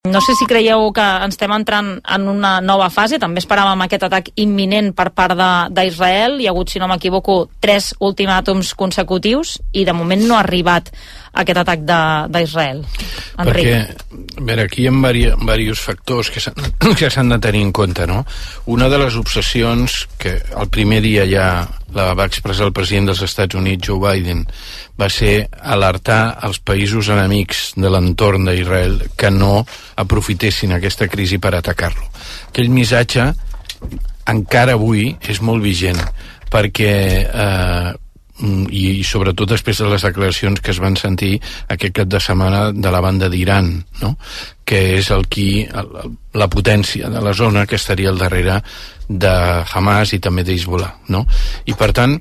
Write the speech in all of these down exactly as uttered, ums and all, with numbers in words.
No sé si creieu que ens estem entrant en una nova fase. També esperàvem aquest atac imminent per part d'Israel. Hi ha hagut, si no m'equivoco, tres ultimàtums consecutius i de moment no ha arribat aquest atac d'Israel. Perquè, a veure, aquí hi ha diversos factors que s'han de tenir en compte, no? Una de les obsessions que el primer dia ja la va expressar el president dels Estats Units, Joe Biden, va ser alertar els països enemics de l'entorn d'Israel que no aprofitessin aquesta crisi per atacar-lo. Aquell missatge encara avui és molt vigent perquè eh, i, i sobretot després de les declaracions que es van sentir aquest cap de setmana de la banda d'Iran, no? Que és el qui, el, la potència de la zona que estaria al darrere de Hamas i també d'Hezbollah, no? I per tant,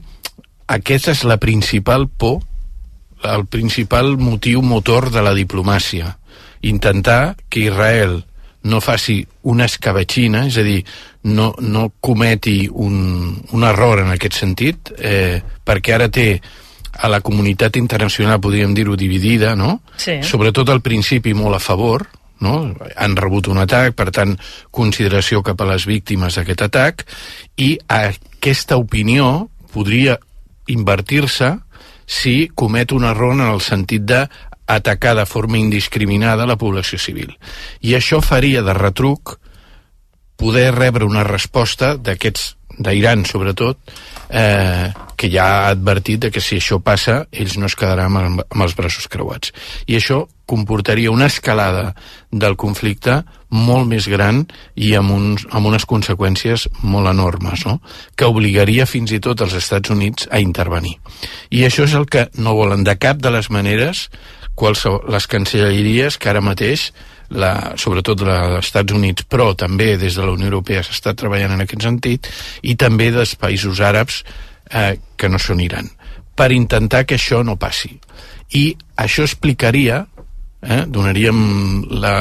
aquesta és la principal por, el principal motiu motor de la diplomàcia. Intentar que Israel no faci una escabatxina, és a dir, no, no cometi un, un error en aquest sentit, eh, perquè ara té a la comunitat internacional, podríem dir-ho, dividida, no? Sí. Sobretot al principi molt a favor, no? Han rebut un atac, per tant, consideració cap a les víctimes d'aquest atac, i aquesta opinió podria invertir-se si comet un error en el sentit de atacar de forma indiscriminada la població civil. I això faria de retruc poder rebre una resposta d'aquests, d'Iran sobretot, eh, que ja ha advertit de que si això passa ells no es quedaran amb, amb els braços creuats. I això comportaria una escalada del conflicte molt més gran i amb, uns, amb unes conseqüències molt enormes, no? Que obligaria fins i tot els Estats Units a intervenir. I això és el que no volen de cap de les maneres les cancelleries que ara mateix, la, sobretot dels Estats Units, però també des de la Unió Europea s'està treballant en aquest sentit, i també dels països àrabs eh, que no són Iran, per intentar que això no passi. I això explicaria, eh, donaríem la,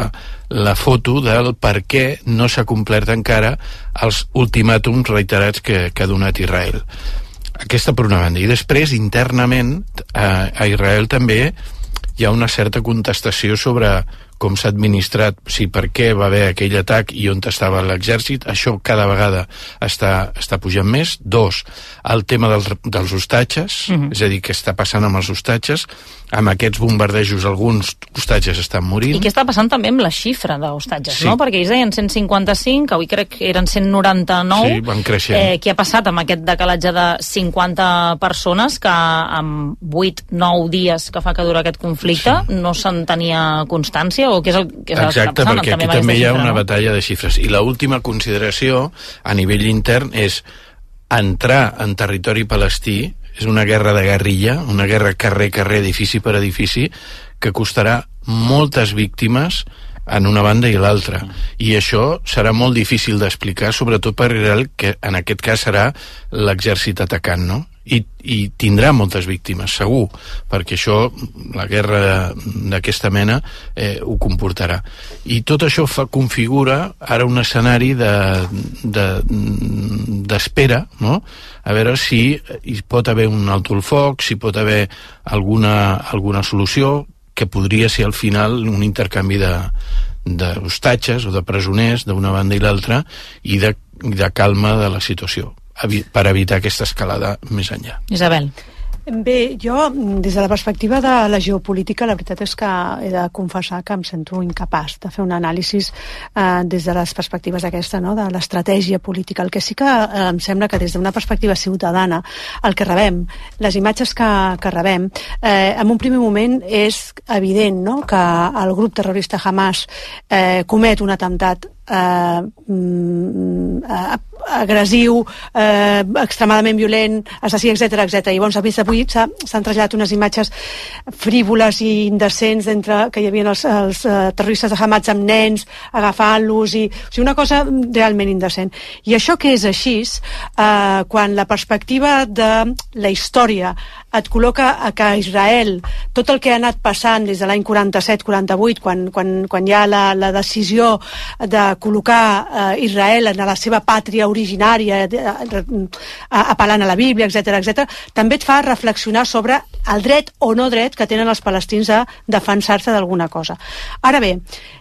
la foto del per què no s'ha complert encara els ultimàtums reiterats que, que ha donat Israel. Aquesta per una banda. I després, internament, eh, a Israel també hi ha una certa contestació sobre com s'ha administrat, o sigui, per què va haver aquell atac i on estava l'exèrcit. Això cada vegada està, està pujant més. Dos, el tema dels, dels hostatges, uh-huh. és a dir, què està passant amb els hostatges. Amb aquests bombardejos alguns hostatges estan morint. I què està passant també amb la xifra d'hostatges, sí. no? Perquè ells deien cent cinquanta-cinc, avui crec que eren cent noranta-nou. Sí, van creixent. Eh, què ha passat amb aquest decalatge de cinquanta persones que amb vuit nou dies que fa que dura aquest conflicte sí. no se'n tenia constància? O què és el que Exacte, està passant? perquè també aquí també hi ha xifra, una no? batalla de xifres. I l'última consideració a nivell intern és entrar en territori palestí. És una guerra de guerrilla, una guerra carrer-carrer, edifici per edifici, que costarà moltes víctimes en una banda i l'altra. I això serà molt difícil d'explicar, sobretot per Israel, que en aquest cas serà l'exèrcit atacant, no? I, i tindrà moltes víctimes, segur, perquè això, la guerra d'aquesta mena, eh, ho comportarà. I tot això fa, configura ara un escenari de, de, d'espera, no? A veure si hi pot haver un alto el foc, si pot haver alguna, alguna solució, que podria ser al final un intercanvi de d'hostatges o de presoners d'una banda i l'altra i de, de calma de la situació per evitar aquesta escalada més enllà. Isabel. Bé, jo, des de la perspectiva de la geopolítica, la veritat és que he de confessar que em sento incapaç de fer un anàlisi eh, des de les perspectives aquesta, no?, de l'estratègia política. El que sí que eh, em sembla que des d'una perspectiva ciutadana, el que rebem, les imatges que, que rebem, eh, en un primer moment és evident, no?, que el grup terrorista Hamas eh, comet un atemptat eh, eh, agressiu, eh, extremadament violent, assassí, etcètera, etcètera. I llavors, avui s'han traslladat unes imatges frívoles i indecents entre que hi havia els, els uh, terroristes de Hamas amb nens agafant-los, i, o sigui, una cosa realment indecent. I això que és així, eh, quan la perspectiva de la història et col·loca a que Israel, tot el que ha anat passant des de l'any quaranta-set quaranta-vuit, quan, quan, quan hi ha la, la decisió de col·locar eh, Israel en la seva pàtria originària, eh, apel·lant a la Bíblia, etcètera, etcètera, també et fa reflexionar sobre el dret o no dret que tenen els palestins a defensar-se d'alguna cosa. Ara bé,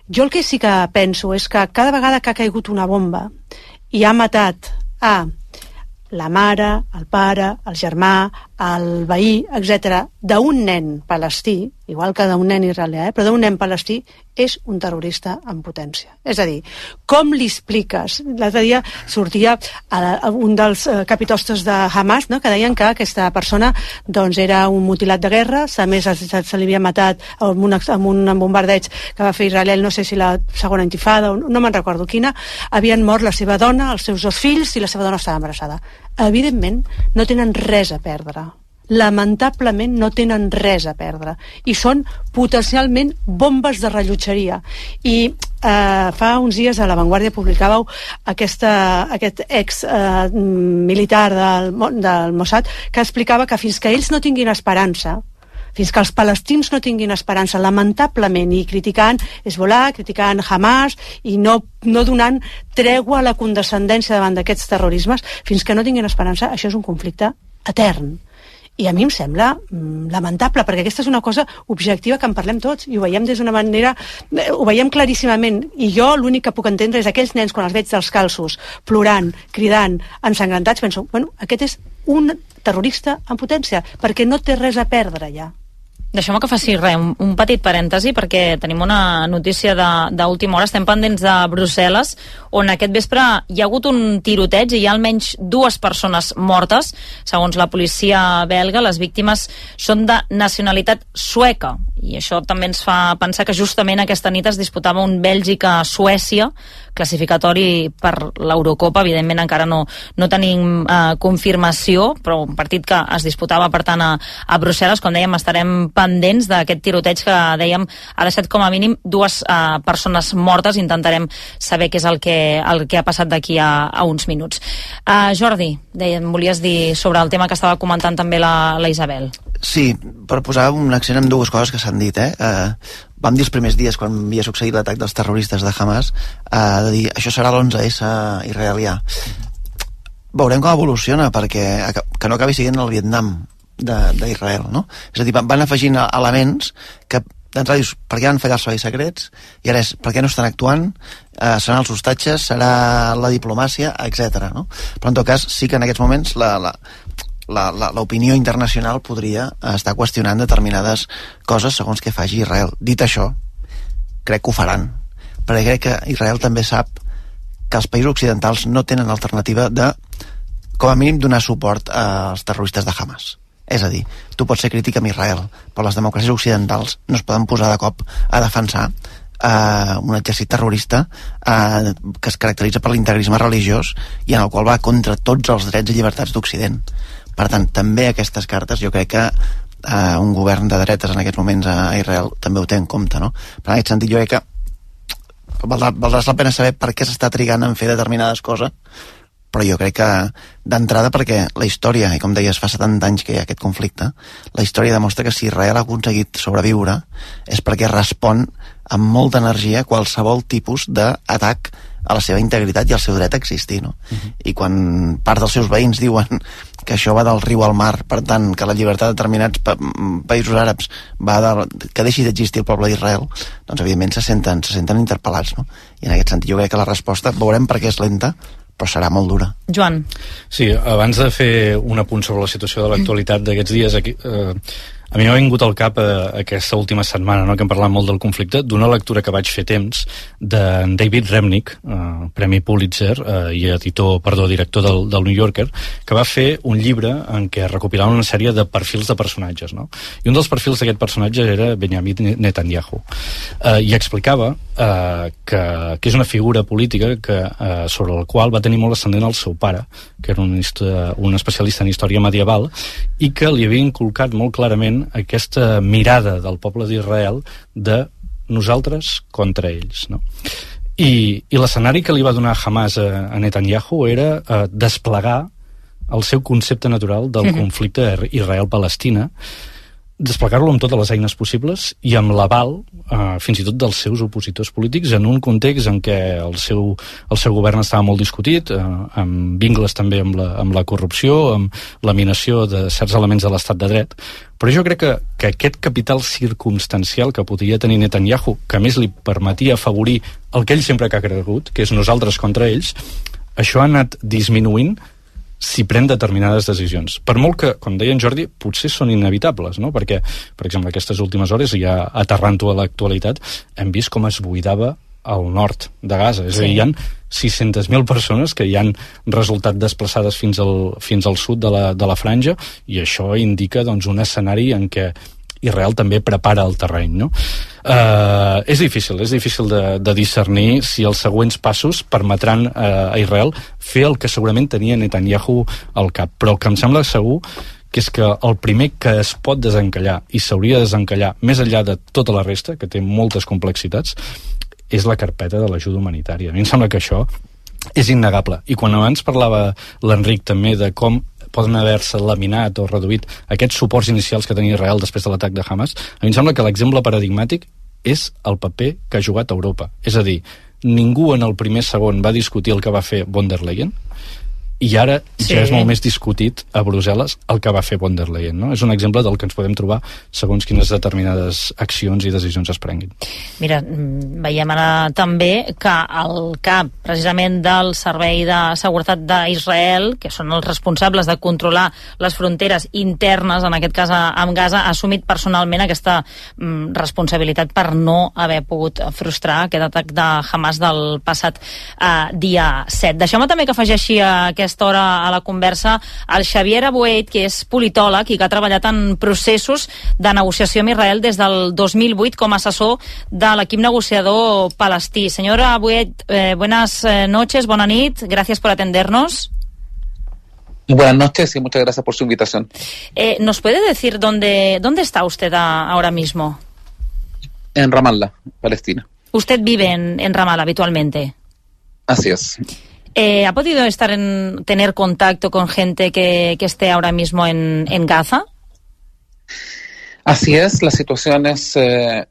jo el que sí que penso és que cada vegada que ha caigut una bomba i ha matat a la mare, el pare, el germà, el veí, etcètera, d'un nen palestí, igual que d'un nen israelià, eh, però d'un nen palestí, és un terrorista en potència. És a dir, com li expliques? L'altre dia sortia a un dels eh, capitostes de Hamas, no?, que deien que aquesta persona doncs, era un mutilat de guerra, a més se, se li havia matat amb un, amb un bombardeig que va fer Israel, no sé si la segona intifada, o no me'n recordo quina, havien mort la seva dona, els seus dos fills, i la seva dona estava embarassada. Evidentment, no tenen res a perdre. Lamentablement no tenen res a perdre i són potencialment bombes de rellotgeria. I eh, fa uns dies a La Vanguardia publicàveu aquesta, aquest ex eh, militar del, del Mossad que explicava que fins que ells no tinguin esperança, fins que els palestins no tinguin esperança, lamentablement, i criticant Hezbollah, criticant Hamas i no, no donant tregua a la condescendència davant d'aquests terrorismes, fins que no tinguin esperança, això és un conflicte etern. I a mi em sembla mm, lamentable, perquè aquesta és una cosa objectiva que en parlem tots, i ho veiem des d'una manera, eh, ho veiem claríssimament, i jo l'únic que puc entendre és aquells nens quan els veig dels calços, plorant, cridant, ensangrentats, penso, bueno, aquest és un terrorista en potència, perquè no té res a perdre ja. Deixeu-me que faci res, un, un petit parèntesi, perquè tenim una notícia d'última hora. Estem pendents de Brussel·les, on aquest vespre hi ha hagut un tiroteig i hi ha almenys dues persones mortes. Segons la policia belga, les víctimes són de nacionalitat sueca. I això també ens fa pensar que justament aquesta nit es disputava un Bèlgica-Suècia, classificatori per l'Eurocopa. Evidentment encara no, no tenim eh, confirmació, però un partit que es disputava, per tant, a, a Brussel·les. Com dèiem, estarem pendents d'aquest tiroteig que, dèiem, ha deixat com a mínim dues eh, persones mortes. Intentarem saber què és el que, el que ha passat d'aquí a, a uns minuts. Uh, Jordi, dèiem, volies dir sobre el tema que estava comentant també la, la Isabel. Sí, per posar un accent en dues coses que s'han dit, eh? Uh, vam dir els primers dies, quan havia succeït l'atac dels terroristes de Hamas, uh, de dir, això serà l'onze essa israelià. Veurem com evoluciona, perquè que no acabi sent el Vietnam d'Israel, no? És a dir, van afegint elements que d'entrada dius, per què van fallar els serveis secrets? I ara és, per què no estan actuant? Uh, seran els hostatges? Serà la diplomàcia? Etcètera, no? Però en tot cas, sí que en aquests moments la... la l'opinió internacional podria estar qüestionant determinades coses segons què faci Israel. Dit això, crec que ho faran, perquè crec que Israel també sap que els països occidentals no tenen alternativa de, com a mínim, donar suport als terroristes de Hamas. És a dir, tu pots ser crític amb Israel, però les democràcies occidentals no es poden posar de cop a defensar Uh, un exèrcit terrorista uh, que es caracteritza per l'integrisme religiós i en el qual va contra tots els drets i llibertats d'Occident. Per tant, també aquestes cartes jo crec que uh, un govern de dretes en aquests moments a Israel també ho té en compte, no? Per en aquest sentit jo crec que valdrà, valdrà la pena saber per què s'està trigant en fer determinades coses, però jo crec que d'entrada, perquè la història, i com deies, fa setanta anys que hi ha aquest conflicte, la història demostra que si Israel ha aconseguit sobreviure és perquè respon amb molta energia qualsevol tipus d'atac a la seva integritat i al seu dret a existir, no? Uh-huh. I quan part dels seus veïns diuen que això va del riu al mar, per tant, que la llibertat de determinats pa països àrabs va de, que deixi d'existir el poble d'Israel, doncs evidentment se senten, se senten interpel·lats, no? I en aquest sentit jo crec que la resposta, veurem per què és lenta, però serà molt dura. Joan. Sí, abans de fer un apunt sobre la situació de l'actualitat d'aquests dies, aquí, eh, a mi m'ha vingut al cap eh, aquesta última setmana, no?, que hem parlat molt del conflicte, d'una lectura que vaig fer temps de David Remnick, eh, Premi Pulitzer eh, i editor, perdó, director del, del New Yorker, que va fer un llibre en què recopilava una sèrie de perfils de personatges, no? I un dels perfils d'aquest personatge era Benjamin Netanyahu, eh, i explicava eh, que, que és una figura política que, eh, sobre la qual va tenir molt ascendent el seu pare, que era un, un especialista en història medieval, i que li havia inculcat molt clarament aquesta mirada del poble d'Israel de nosaltres contra ells, no? I, i l'escenari que li va donar Hamas a, a Netanyahu era eh, desplegar el seu concepte natural del mm-hmm. conflicte Israel-Palestina, desplegar-lo amb totes les eines possibles i amb l'aval, eh, fins i tot dels seus opositors polítics, en un context en què el seu, el seu govern estava molt discutit, eh, amb vincles també amb la, amb la corrupció, amb laminació de certs elements de l'estat de dret. Però jo crec que, que aquest capital circumstancial que podria tenir Netanyahu, que a més li permetia afavorir el que ell sempre que ha cregut, que és nosaltres contra ells, això ha anat disminuint si pren determinades decisions. Per molt que, com deia en Jordi, potser són inevitables, no? Perquè, per exemple, aquestes últimes hores, ja aterrant-ho a l'actualitat, hem vist com es buidava al nord de Gaza. És sí. a dir, hi ha sis-centes mil persones que hi han resultat desplaçades fins al, fins al sud de la, de la franja, i això indica doncs, un escenari en què Israel també prepara el terreny, no? Uh, és difícil, és difícil de, de discernir si els següents passos permetran uh, a Israel fer el que segurament tenia Netanyahu al cap, però el que em sembla segur que és que el primer que es pot desencallar i s'hauria de desencallar més enllà de tota la resta, que té moltes complexitats, és la carpeta de l'ajuda humanitària. A mi em sembla que això és innegable. I quan abans parlava l'Enric també de com poden haver-se laminat o reduït aquests suports inicials que tenia Israel després de l'atac de Hamas, a mi em sembla que l'exemple paradigmàtic és el paper que ha jugat Europa. És a dir, ningú en el primer segon va discutir el que va fer von der Leyen, i ara sí. ja és molt més discutit a Brussel·les el que va fer von der Leyen, no? És un exemple del que ens podem trobar segons quines determinades accions i decisions es prenguin. Mira, veiem ara també que el cap precisament del Servei de Seguretat d'Israel, que són els responsables de controlar les fronteres internes, en aquest cas amb Gaza, ha assumit personalment aquesta mm, responsabilitat per no haver pogut frustrar aquest atac de Hamas del passat eh, dia set. Deixeu-me també que afegeixi a aquesta hora a la conversa el Xavier Abuet, que és politòleg i que ha treballat en processos de negociació amb Israel des del dos mil vuit com a assessor de l'equip negociador palestí. Señor Abuet, eh, buenas noches, bona nit, gracias por atendernos. Buenas noches y muchas gracias por su invitación. Eh, ¿Nos puede decir dónde, dónde está usted a, ahora mismo? En Ramallah, Palestina. ¿Usted vive en, en Ramallah habitualmente? Así es. Eh, ¿Ha podido estar en tener contacto con gente que, que esté ahora mismo en, en Gaza? Así es, la situación es... Eh,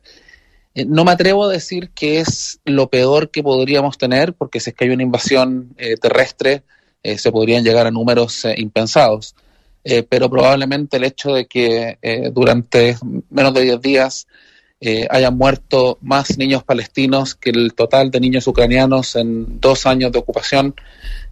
no me atrevo a decir que es lo peor que podríamos tener, porque si es que hay una invasión eh, terrestre, eh, se podrían llegar a números eh, impensados. Eh, pero probablemente el hecho de que eh, durante menos de diez días Eh, hayan muerto más niños palestinos que el total de niños ucranianos en dos años de ocupación,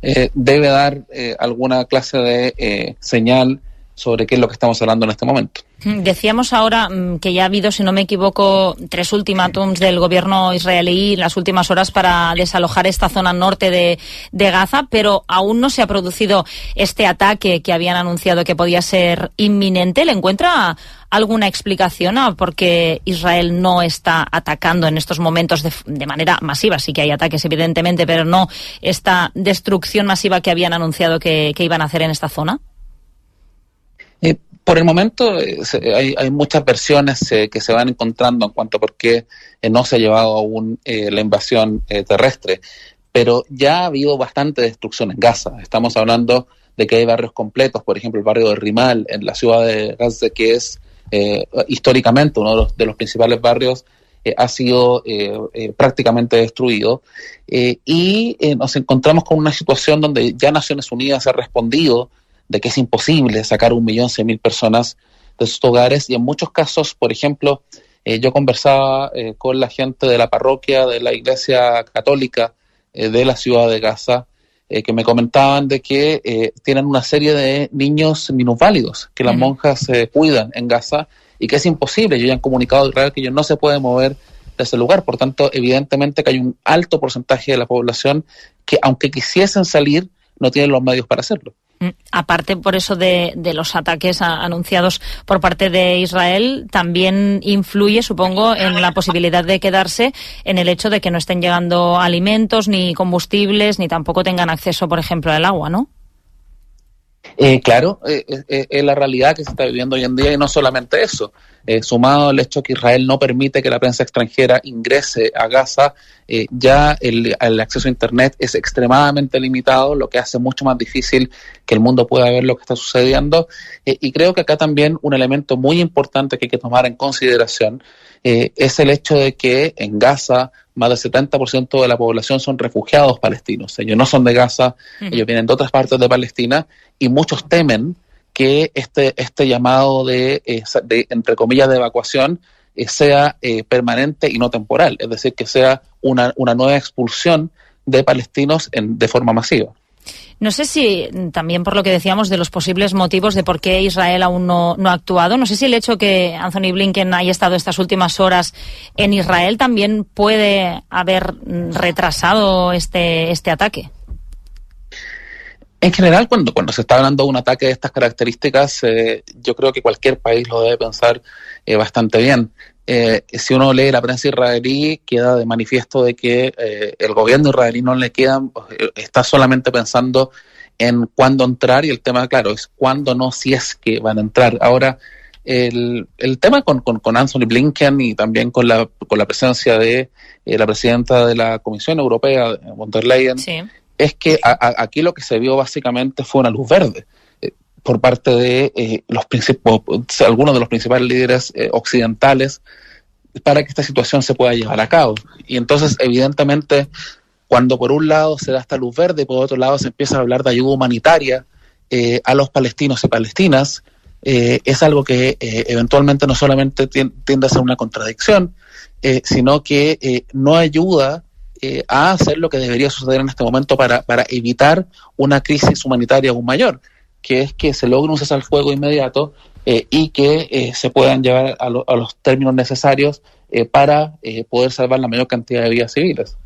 eh, debe dar eh, alguna clase de eh, señal sobre qué es lo que estamos hablando en este momento. Decíamos ahora que ya ha habido, si no me equivoco, tres ultimátums del gobierno israelí en las últimas horas para desalojar esta zona norte de, de Gaza, pero aún no se ha producido este ataque que habían anunciado que podía ser inminente. ¿Le encuentra alguna explicación a por qué Israel no está atacando en estos momentos de, de manera masiva? Sí que hay ataques, evidentemente, pero no esta destrucción masiva que habían anunciado que, que iban a hacer en esta zona. Eh, por el momento eh, hay, hay muchas versiones eh, que se van encontrando en cuanto a por qué eh, no se ha llevado aún eh, la invasión eh, terrestre, pero ya ha habido bastante destrucción en Gaza. Estamos hablando de que hay barrios completos, por ejemplo el barrio de Rimal en la ciudad de Gaza, que es eh, históricamente uno de los, de los principales barrios, eh, ha sido eh, eh, prácticamente destruido, eh, y eh, nos encontramos con una situación donde ya Naciones Unidas ha respondido de que es imposible sacar un millón cien mil personas de sus hogares, y en muchos casos, por ejemplo, eh, yo conversaba eh, con la gente de la parroquia de la Iglesia Católica eh, de la ciudad de Gaza, eh, que me comentaban de que eh, tienen una serie de niños minusválidos que las monjas eh, cuidan en Gaza, y que es imposible. Ellos ya han comunicado a Israel que ellos no se pueden mover de ese lugar. Por tanto, evidentemente que hay un alto porcentaje de la población que, aunque quisiesen salir, no tienen los medios para hacerlo. Aparte, por eso, de, de los ataques a, anunciados por parte de Israel, también influye, supongo, en la posibilidad de quedarse en el hecho de que no estén llegando alimentos, ni combustibles, ni tampoco tengan acceso, por ejemplo, al agua, ¿no? Eh, claro, es eh, eh, eh, la realidad que se está viviendo hoy en día, y no solamente eso, eh, sumado al hecho que Israel no permite que la prensa extranjera ingrese a Gaza, eh, ya el, el acceso a Internet es extremadamente limitado, lo que hace mucho más difícil que el mundo pueda ver lo que está sucediendo, eh, y creo que acá también un elemento muy importante que hay que tomar en consideración eh, es el hecho de que en Gaza más del setenta por ciento de la población son refugiados palestinos. Ellos no son de Gaza, uh-huh. ellos vienen de otras partes de Palestina, y muchos temen que este, este llamado de, eh, de, entre comillas, de evacuación eh, sea eh, permanente y no temporal, es decir, que sea una, una nueva expulsión de palestinos en, de forma masiva. No sé si, también por lo que decíamos de los posibles motivos de por qué Israel aún no, no ha actuado, no sé si el hecho que Anthony Blinken haya estado estas últimas horas en Israel también puede haber retrasado este, este ataque. En general, cuando, cuando se está hablando de un ataque de estas características, eh, yo creo que cualquier país lo debe pensar eh, bastante bien. Eh, si uno lee la prensa israelí, queda de manifiesto de que eh, el gobierno israelí no le queda, está solamente pensando en cuándo entrar, y el tema, claro, es cuándo, no si es que van a entrar. Ahora, el, el tema con, con, con Anthony Blinken y también con la, con la presencia de eh, la presidenta de la Comisión Europea, von der Leyen, sí. es que a, a, aquí lo que se vio básicamente fue una luz verde eh, por parte de eh, los principales, algunos de los principales líderes eh, occidentales para que esta situación se pueda llevar a cabo. Y entonces, evidentemente, cuando por un lado se da esta luz verde y por otro lado se empieza a hablar de ayuda humanitaria eh, a los palestinos y palestinas, eh, es algo que eh, eventualmente no solamente tiende a ser una contradicción, eh, sino que eh, no ayuda eh, a hacer lo que debería suceder en este momento para, para evitar una crisis humanitaria aún mayor, que es que se logre un cese al fuego inmediato eh, y que eh, se puedan llevar a, lo, a los términos necesarios eh, para eh, poder salvar la mayor cantidad de vidas civiles.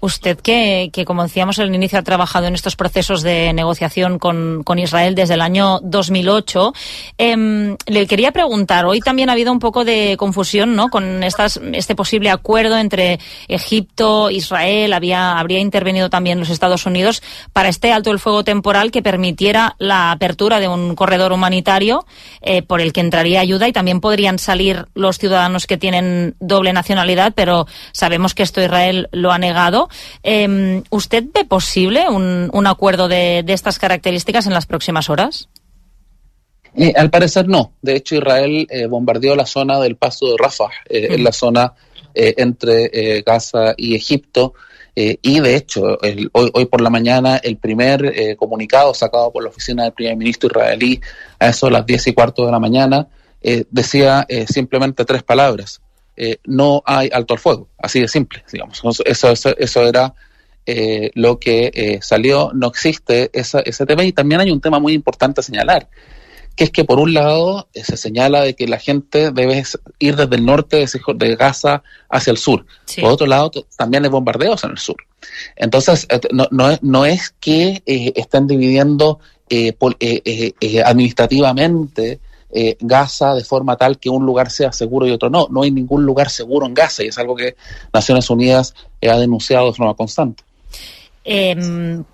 Usted que, que, como decíamos al inicio, ha trabajado en estos procesos de negociación con, con Israel desde el año dos mil ocho, eh, le quería preguntar, hoy también ha habido un poco de confusión, ¿no?, con estas, este posible acuerdo entre Egipto, Israel, había, habría intervenido también los Estados Unidos para este alto el fuego temporal que permitiera la apertura de un corredor humanitario eh, por el que entraría ayuda, y también podrían salir los ciudadanos que tienen doble nacionalidad, pero sabemos que esto Israel lo ha negado. Eh, ¿Usted ve posible un, un acuerdo de, de estas características en las próximas horas? Eh, al parecer no. De hecho, Israel eh, bombardeó la zona del paso de Rafah, eh, mm. en la zona eh, entre eh, Gaza y Egipto, eh, y de hecho, el, hoy, hoy por la mañana, el primer eh, comunicado sacado por la oficina del primer ministro israelí a eso de las diez y cuarto de la mañana, eh, decía eh, simplemente tres palabras: Eh, no hay alto al fuego, así de simple, digamos. Eso, eso, eso era eh, lo que eh, salió. No existe esa, ese tema, y también hay un tema muy importante a señalar, que es que por un lado eh, se señala de que la gente debe ir desde el norte de, de Gaza hacia el sur, sí. Por otro lado t- también hay bombardeos en el sur. Entonces eh, no, no, es, no es que eh, estén dividiendo eh, por, eh, eh, eh, administrativamente Eh, Gaza de forma tal que un lugar sea seguro y otro no. No hay ningún lugar seguro en Gaza, y es algo que Naciones Unidas eh, ha denunciado de forma constante. Eh,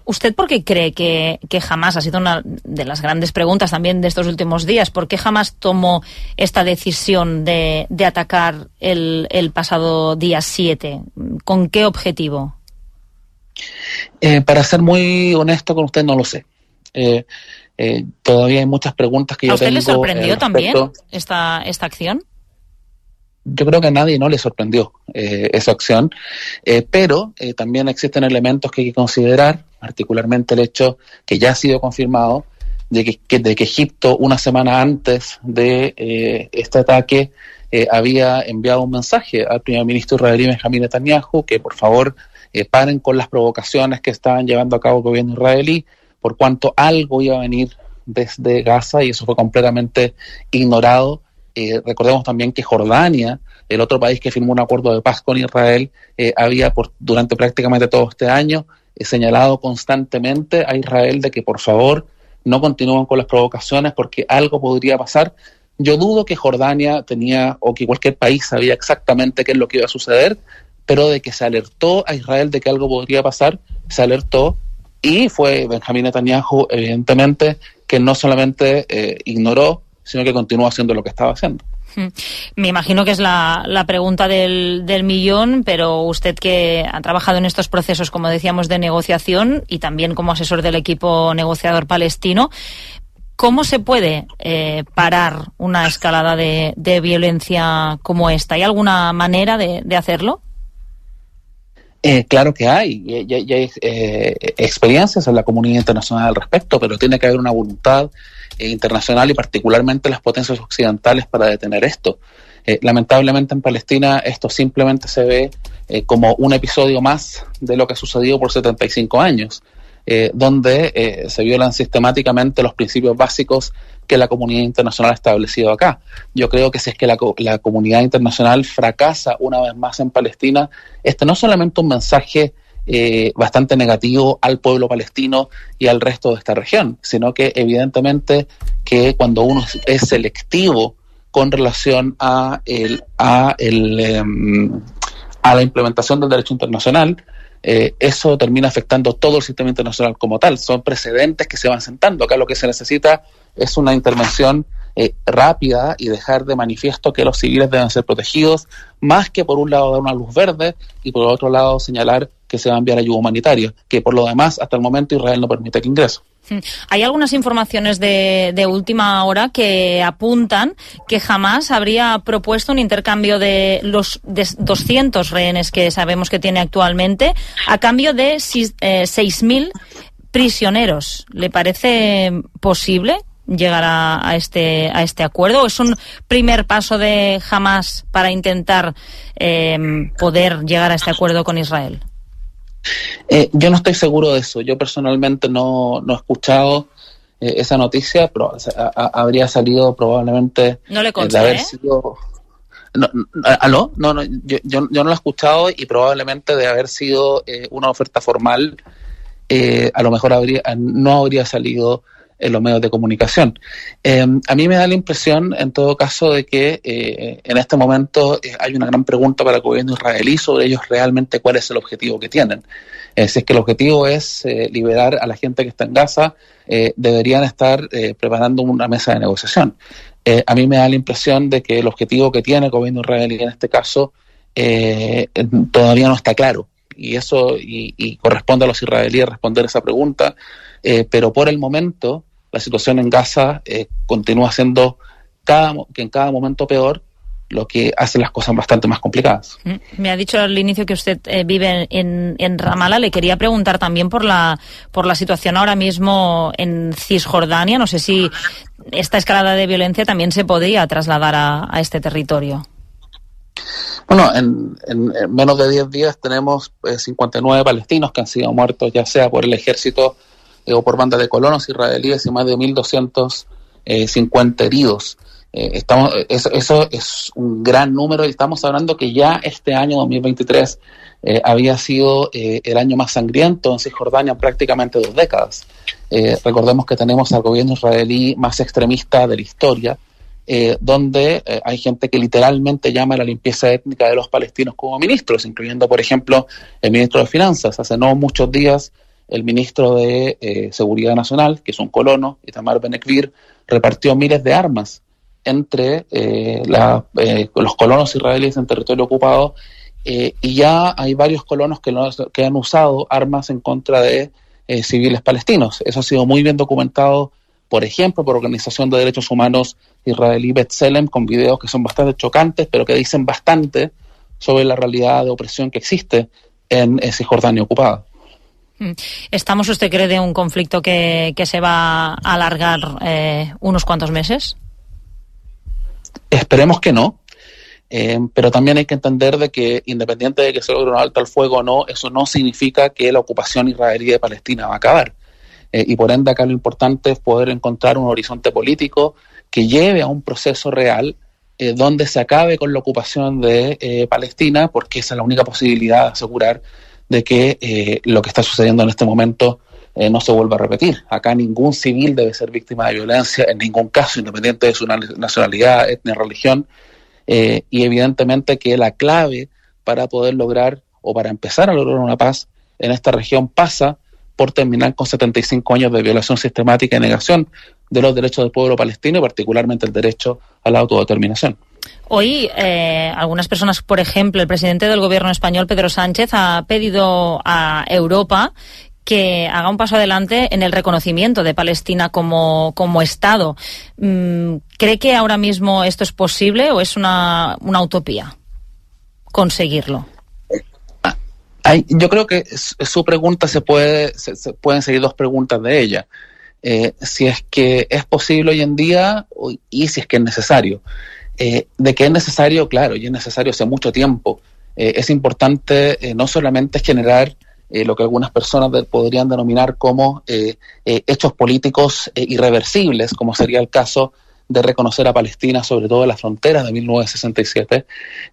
¿Usted por qué cree que, que Hamás, ha sido una de las grandes preguntas también de estos últimos días, por qué Hamás tomó esta decisión de, de atacar el, el pasado día siete? ¿Con qué objetivo? Eh, para ser muy honesto con usted, no lo sé. Eh, Eh, todavía hay muchas preguntas que yo tengo. ¿A usted le sorprendió eh, también esta, esta acción? Yo creo que a nadie no le sorprendió eh, esa acción, eh, pero eh, también existen elementos que hay que considerar, particularmente el hecho que ya ha sido confirmado de que, que, de que Egipto, una semana antes de eh, este ataque, eh, había enviado un mensaje al primer ministro israelí Benjamín Netanyahu que por favor eh, paren con las provocaciones que estaban llevando a cabo el gobierno israelí, por cuanto algo iba a venir desde Gaza, y eso fue completamente ignorado. Eh, recordemos también que Jordania, el otro país que firmó un acuerdo de paz con Israel, eh, había por, durante prácticamente todo este año eh, señalado constantemente a Israel de que por favor no continúen con las provocaciones porque algo podría pasar. Yo dudo que Jordania tenía, o que cualquier país sabía exactamente qué es lo que iba a suceder, pero de que se alertó a Israel de que algo podría pasar, se alertó. Y fue Benjamín Netanyahu, evidentemente, que no solamente eh, ignoró, sino que continuó haciendo lo que estaba haciendo. Me imagino que es la, la pregunta del, del millón, pero usted que ha trabajado en estos procesos, como decíamos, de negociación y también como asesor del equipo negociador palestino, ¿cómo se puede eh, parar una escalada de, de violencia como esta? ¿Hay alguna manera de, de hacerlo? Eh, claro que hay, y, y, y hay eh, experiencias en la comunidad internacional al respecto, pero tiene que haber una voluntad eh, internacional y particularmente las potencias occidentales para detener esto. Eh, lamentablemente en Palestina esto simplemente se ve eh, como un episodio más de lo que ha sucedido por setenta y cinco años, eh, donde eh, se violan sistemáticamente los principios básicos que la comunidad internacional ha establecido acá. Yo creo que si es que la, la comunidad internacional fracasa una vez más en Palestina, este no es solamente un mensaje eh, bastante negativo al pueblo palestino y al resto de esta región, sino que evidentemente que cuando uno es selectivo con relación a, el, a, el, eh, a la implementación del derecho internacional, Eh, eso termina afectando todo el sistema internacional como tal. Son precedentes que se van sentando. Acá lo que se necesita es una intervención eh, rápida y dejar de manifiesto que los civiles deben ser protegidos, más que por un lado dar una luz verde y por otro lado señalar que se va a enviar ayuda humanitaria, que por lo demás hasta el momento Israel no permite que ingrese. Hay algunas informaciones de, de última hora que apuntan que Hamás habría propuesto un intercambio de los de doscientos rehenes que sabemos que tiene actualmente a cambio de eh, seis mil prisioneros. ¿Le parece posible llegar a, a este a este acuerdo? ¿O es un primer paso de Hamás para intentar eh, poder llegar a este acuerdo con Israel? Eh, yo no estoy seguro de eso. Yo personalmente no, no he escuchado eh, esa noticia, pero o sea, a, a, habría salido probablemente no le consta, eh, de haber ¿eh? sido... No, no, ¿Aló? No, no, yo, yo, yo no lo he escuchado y probablemente de haber sido eh, una oferta formal, eh, a lo mejor habría no habría salido en los medios de comunicación. Eh, a mí me da la impresión, en todo caso, de que eh, en este momento eh, hay una gran pregunta para el gobierno israelí sobre ellos realmente cuál es el objetivo que tienen. Eh, si es que el objetivo es eh, liberar a la gente que está en Gaza, eh, deberían estar eh, preparando una mesa de negociación. Eh, a mí me da la impresión de que el objetivo que tiene el gobierno israelí en este caso eh, todavía no está claro. Y eso y, y corresponde a los israelíes responder esa pregunta. Eh, pero por el momento la situación en Gaza eh, continúa siendo cada, que en cada momento peor, lo que hace las cosas bastante más complicadas. Me ha dicho al inicio que usted eh, vive en, en Ramallah. Le quería preguntar también por la por la situación ahora mismo en Cisjordania. No sé si esta escalada de violencia también se podría trasladar a, a este territorio. Bueno, en, en, en menos de diez días tenemos eh, cincuenta y nueve palestinos que han sido muertos, ya sea por el ejército eh, o por bandas de colonos israelíes, y más de mil doscientos cincuenta heridos. Eh, estamos, eso, eso es un gran número, y estamos hablando que ya este año dos mil veintitrés eh, había sido eh, el año más sangriento en Cisjordania en prácticamente dos décadas. Eh, recordemos que tenemos al gobierno israelí más extremista de la historia, eh, donde eh, hay gente que literalmente llama a la limpieza étnica de los palestinos como ministros, incluyendo, por ejemplo, el ministro de Finanzas. Hace no muchos días, el ministro de eh, Seguridad Nacional, que es un colono, Itamar Ben-Gvir, repartió miles de armas entre eh, la, eh, los colonos israelíes en territorio ocupado, eh, y ya hay varios colonos que, lo, que han usado armas en contra de eh, civiles palestinos. Eso ha sido muy bien documentado, por ejemplo, por Organización de Derechos Humanos israelí B'Tselem, con videos que son bastante chocantes, pero que dicen bastante sobre la realidad de opresión que existe en eh, Cisjordania ocupada. ¿Estamos, usted cree, de un conflicto que, que se va a alargar eh, unos cuantos meses? Esperemos que no, eh, pero también hay que entender de que, independiente de que se logre un alto al fuego o no, eso no significa que la ocupación israelí de Palestina va a acabar. Eh, y por ende acá lo importante es poder encontrar un horizonte político que lleve a un proceso real eh, donde se acabe con la ocupación de eh, Palestina, porque esa es la única posibilidad de asegurar de que eh, lo que está sucediendo en este momento eh, no se vuelva a repetir. Acá ningún civil debe ser víctima de violencia, en ningún caso, independiente de su nacionalidad, etnia, religión, eh, y evidentemente que la clave para poder lograr, o para empezar a lograr una paz en esta región, pasa por terminar con setenta y cinco años de violación sistemática y negación de los derechos del pueblo palestino y particularmente el derecho a la autodeterminación. Hoy, eh, algunas personas, por ejemplo, el presidente del gobierno español, Pedro Sánchez, ha pedido a Europa que haga un paso adelante en el reconocimiento de Palestina como, como Estado. ¿Cree que ahora mismo esto es posible o es una, una utopía conseguirlo? Hay, yo creo que su pregunta se puede, se, se pueden seguir dos preguntas de ella. Eh, si es que es posible hoy en día y si es que es necesario. Eh, de que es necesario, claro, y es necesario hace mucho tiempo. Eh, es importante eh, no solamente generar eh, lo que algunas personas de, podrían denominar como eh, eh, hechos políticos eh, irreversibles, como sería el caso de reconocer a Palestina, sobre todo en las fronteras de mil novecientos sesenta y siete,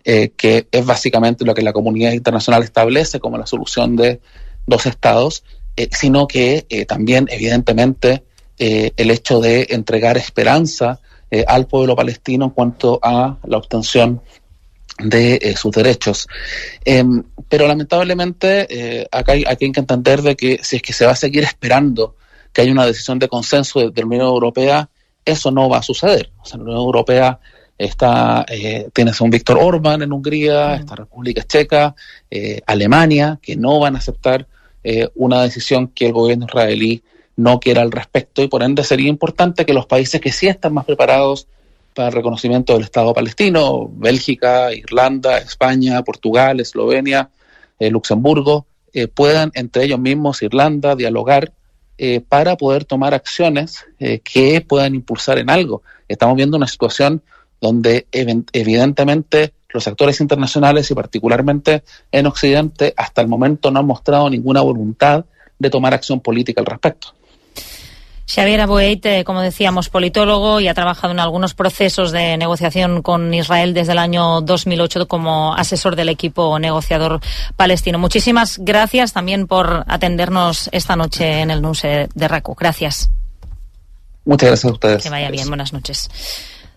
eh, que es básicamente lo que la comunidad internacional establece como la solución de dos estados, eh, sino que eh, también, evidentemente, eh, el hecho de entregar esperanza eh, al pueblo palestino en cuanto a la obtención de eh, sus derechos. Eh, pero lamentablemente eh, acá, hay, acá hay que entender de que si es que se va a seguir esperando que haya una decisión de consenso de, de la Unión Europea, eso no va a suceder. O sea, la Unión Europea está, eh, tienes a un Víctor Orbán en Hungría, está República Checa, eh, Alemania, que no van a aceptar eh, una decisión que el gobierno israelí no quiera al respecto, y por ende sería importante que los países que sí están más preparados para el reconocimiento del Estado palestino, Bélgica, Irlanda, España, Portugal, Eslovenia, eh, Luxemburgo, eh, puedan entre ellos mismos, Irlanda, dialogar eh, para poder tomar acciones eh, que puedan impulsar en algo. Estamos viendo una situación donde ev- evidentemente los actores internacionales y particularmente en Occidente hasta el momento no han mostrado ninguna voluntad de tomar acción política al respecto. Xavier Aboeit, eh, como decíamos, politólogo y ha trabajado en algunos procesos de negociación con Israel desde el año dos mil ocho como asesor del equipo negociador palestino. Muchísimas gracias también por atendernos esta noche en el Nuse de RACU. Gracias. Muchas gracias a ustedes. Que vaya bien, buenas noches.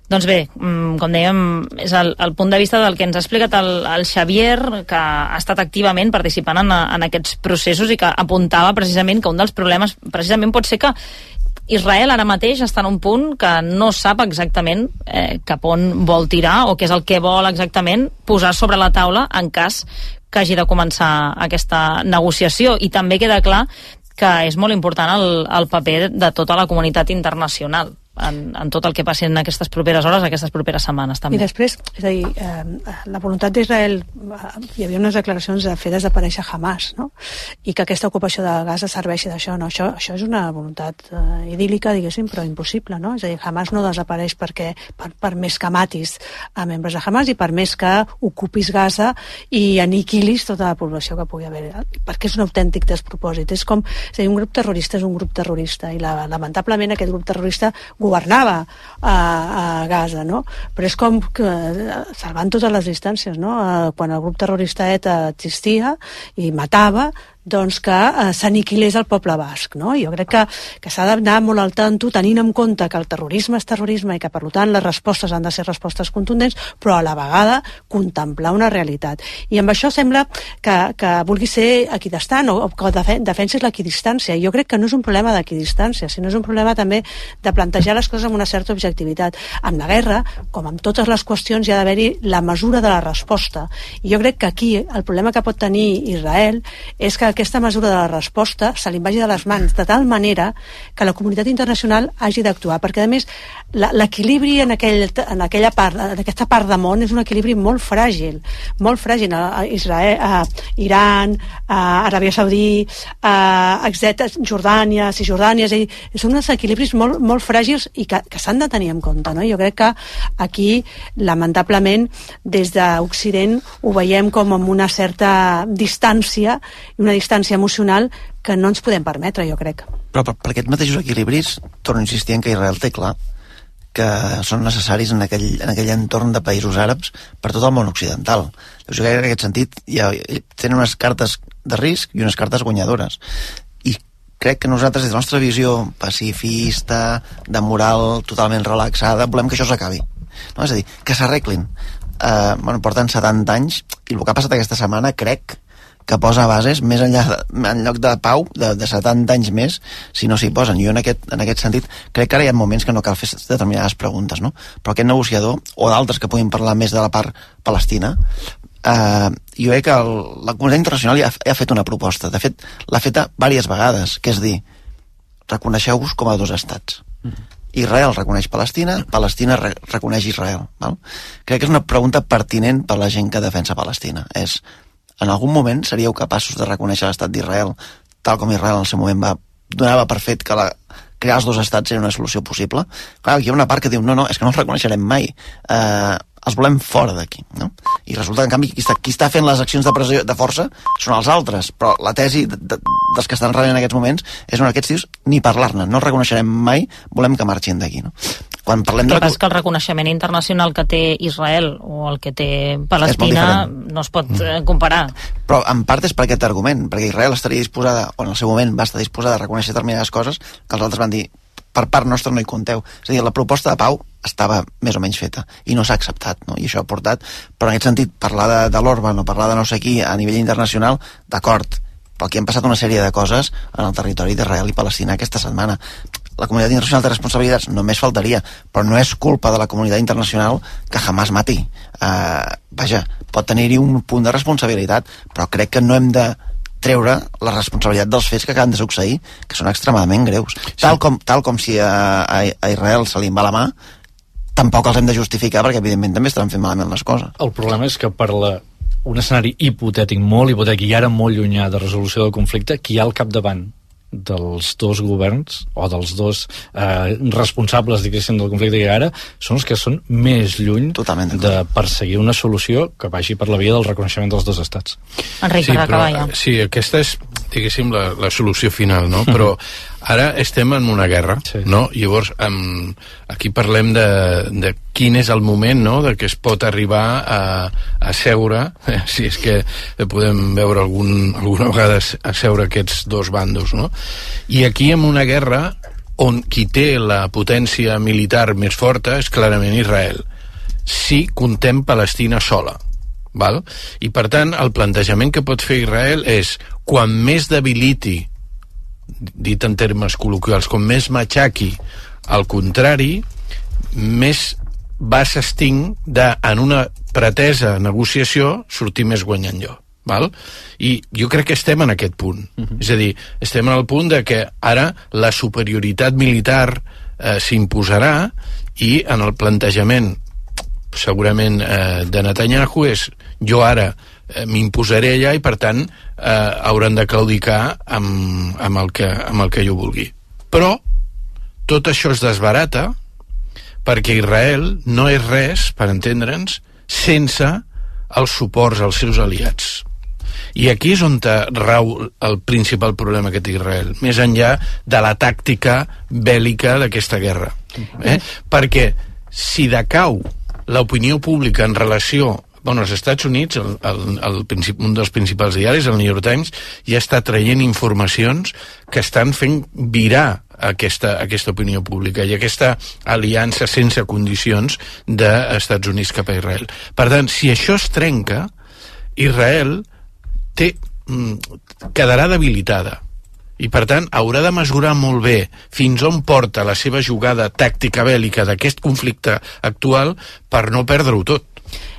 Doncs bé, com dèiem, és el, el punt de vista del que ens ha explicat el, el Xavier, que ha estat activament participant en, en aquests processos i que apuntava precisament que un dels problemes precisament pot ser que Israel ara mateix està en un punt que no sap exactament eh, cap on vol tirar o què és el que vol exactament posar sobre la taula en cas que hagi de començar aquesta negociació. I també queda clar que és molt important el, el paper de tota la comunitat internacional en, en tot el que passi en aquestes properes hores, aquestes properes setmanes també. I després, és a dir, eh, la voluntat d'Israel, eh, hi havia unes declaracions de fer desaparèixer Hamas, no? I que aquesta ocupació de Gaza serveixi d'això, no? Això, això és una voluntat eh, idíl·lica, diguéssim, però impossible, no? És a dir, Hamas no desapareix perquè, per, per més que matis a membres de Hamas i per més que ocupis Gaza i aniquilis tota la població que pugui haver, perquè és un autèntic despropòsit. És com, és a dir, un grup terrorista és un grup terrorista i la, lamentablement aquest grup terrorista governava a, a Gaza, no? Però és com que, salvant totes les distàncies, no? Quan el grup terrorista ETA existia i matava, doncs que eh, s'aniquilés el poble basc, no? Jo crec que, que s'ha d'anar molt al tanto, tenint en compte que el terrorisme és terrorisme i que, per tant, les respostes han de ser respostes contundents, però a la vegada contemplar una realitat. I amb això sembla que, que vulgui ser equidistant o, o que defen defensis l'equidistància. Jo crec que no és un problema d'equidistància, sinó és un problema també de plantejar les coses amb una certa objectivitat. En la guerra, com en totes les qüestions, hi ha d'haver-hi la mesura de la resposta. I jo crec que aquí el problema que pot tenir Israel és que aquesta mesura de la resposta se li vagi de les mans de tal manera que la comunitat internacional hagi d'actuar, perquè a més l'equilibri en, aquell, en aquella part, en aquesta part de món és un equilibri molt fràgil, molt fràgil. A Israel, a Iran, a Aràbia Saudí, a etcètera, Jordània, Cisjordània, és a dir, són uns equilibris molt, molt fràgils i que, que s'han de tenir en compte, no? Jo crec que aquí, lamentablement, des d'Occident ho veiem com amb una certa distància i una distància emocional que no ens podem permetre, jo crec. Però per, per aquests mateixos equilibris, torno a insistir en que Israel té clar que són necessaris en aquell, en aquell entorn de països àrabs per tot el món occidental. Jo crec que en aquest sentit ja tenen unes cartes de risc i unes cartes guanyadores. I crec que nosaltres, des de la nostra visió pacifista, de moral totalment relaxada, volem que això s'acabi. No? És a dir, que s'arreglin. Uh, bueno, porten setanta anys i el que ha passat aquesta setmana crec que posa bases més enllà de, en lloc de pau de, de setanta anys més, si no s'hi posen. Jo en aquest, en aquest sentit crec que ara hi ha moments que no cal fer determinades preguntes, no? Però aquest negociador, o d'altres que puguin parlar més de la part palestina, eh, jo crec que el, la comunitat internacional ja, ja ha fet una proposta. De fet, l'ha feta diverses vegades, que és dir, reconeixeu-vos com a dos estats. Mm. Israel reconeix Palestina, Palestina re reconeix Israel. Val? Crec que és una pregunta pertinent per la gent que defensa Palestina. És, en algun moment seríeu capaços de reconèixer l'estat d'Israel, tal com Israel en el seu moment va, donava per fet que la, crear els dos estats era una solució possible? Clar, hi ha una part que diu, no, no, és que no els reconeixerem mai. Eh, els volem fora d'aquí, no? I resulta que, en canvi, qui està, qui està fent les accions de pressió de força són els altres, però la tesi de, de, dels que estan rebent en aquests moments és on aquests tios ni parlar-ne, no els reconeixerem mai, volem que marxin d'aquí, no? Quan parlem de... El que passa és que el reconeixement internacional que té Israel o el que té Palestina no es pot eh, comparar. Però en part és per aquest argument, perquè Israel estaria disposada, o en el seu moment va estar disposada a reconèixer determinades coses que els altres van dir, per part nostra no hi compteu. És a dir, la proposta de pau estava més o menys feta i no s'ha acceptat, no? I això ha portat, però en aquest sentit, parlar de, de l'Orban o parlar de no sé qui a nivell internacional, d'acord, però aquí han passat una sèrie de coses en el territori d'Israel i Palestina aquesta setmana. La comunitat internacional té responsabilitats, només faltaria, però no és culpa de la comunitat internacional que Hamas mati. Uh, vaja, pot tenir-hi un punt de responsabilitat, però crec que no hem de treure la responsabilitat dels fets que acaben de succeir, que són extremadament greus. Sí. Tal, com, tal com si a, a, a Israel se li en va la mà, tampoc els hem de justificar, perquè evidentment també estaran fent malament les coses. El problema és que per la, un escenari hipotètic, molt hipotètic i ara molt llunyà de resolució del conflicte, qui hi ha al capdavant dels dos governs o dels dos eh, responsables, diguéssim, del conflicte que hi ha ara, són els que són més lluny de perseguir una solució que vagi per la via del reconeixement dels dos estats. Enric, sí, per acabar ja. Sí, aquesta és, diguéssim, la, la solució final, no? Però ara estem en una guerra, sí. No? Llavors, um, aquí parlem de, de quin és el moment, no?, de que es pot arribar a, a seure, eh, si és que podem veure algun, alguna vegada a seure aquests dos bandos, no? I aquí, en una guerra on qui té la potència militar més forta és clarament Israel, si contem Palestina sola. Val? I per tant el plantejament que pot fer Israel és quan més debiliti, dit en termes col·loquials, com més matxaqui al contrari, més va s'esting de, en una pretesa negociació, sortir més guanyant jo. Val? I jo crec que estem en aquest punt. Uh-huh. És a dir, estem en el punt de que ara la superioritat militar eh, s'imposarà i en el plantejament segurament eh, de Netanyahu és jo ara eh, m'imposaré allà i per tant eh, hauran de claudicar amb, amb, el que, amb el que jo vulgui. Però tot això es desbarata perquè Israel no és res, per entendre'ns, sense els suports als seus aliats. I aquí és on rau el principal problema que té Israel, més enllà de la tàctica bèl·lica d'aquesta guerra. Eh? Perquè si decau l'opinió pública en relació... Bueno, als Estats Units, el, el, el, un dels principals diaris, el New York Times, ja està traient informacions que estan fent virar aquesta, aquesta opinió pública i aquesta aliança sense condicions d'Estats Units cap a Israel. Per tant, si això es trenca, Israel té, quedarà debilitada. I per tant haurà de mesurar molt bé fins on porta la seva jugada tàctica bèl·lica d'aquest conflicte actual per no perdre-ho tot.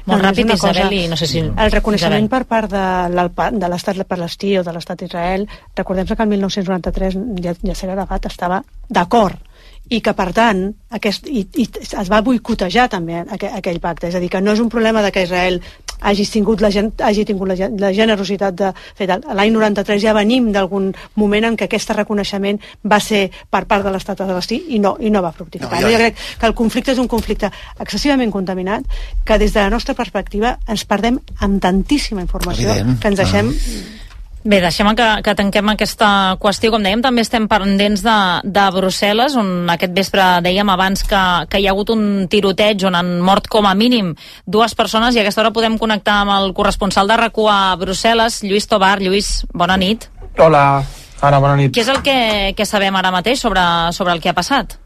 Molt no, ràpid, Isabel, i no sé si... El reconeixement Isabel. per part de, de l'estat palestí o de l'estat d'Israel, recordem que el mil nou-cents noranta-tres ja, Yasser Arafat estava d'acord i que per tant aquest, i, i es va boicotejar també aquell, aquell pacte, és a dir, que no és un problema de que Israel hagi tingut la, hagi tingut la, la generositat de fer l'any noranta-tres ja venim d'algun moment en què aquest reconeixement va ser per part de l'estat palestí i no, i no va fructificar. No, jo... jo crec que el conflicte és un conflicte excessivament contaminat que des de la nostra perspectiva ens perdem amb tantíssima informació Evident. que ens deixem ah. Bé, deixem que, que tanquem aquesta qüestió. Com dèiem, també estem pendents de, de Brussel·les, on aquest vespre dèiem abans que, que hi ha hagut un tiroteig on han mort com a mínim dues persones i a aquesta hora podem connectar amb el corresponsal de RAC u a Brussel·les, Lluís Tobar. Lluís, bona nit. Hola, Anna, bona nit. Què és el que, que sabem ara mateix sobre, sobre el que ha passat?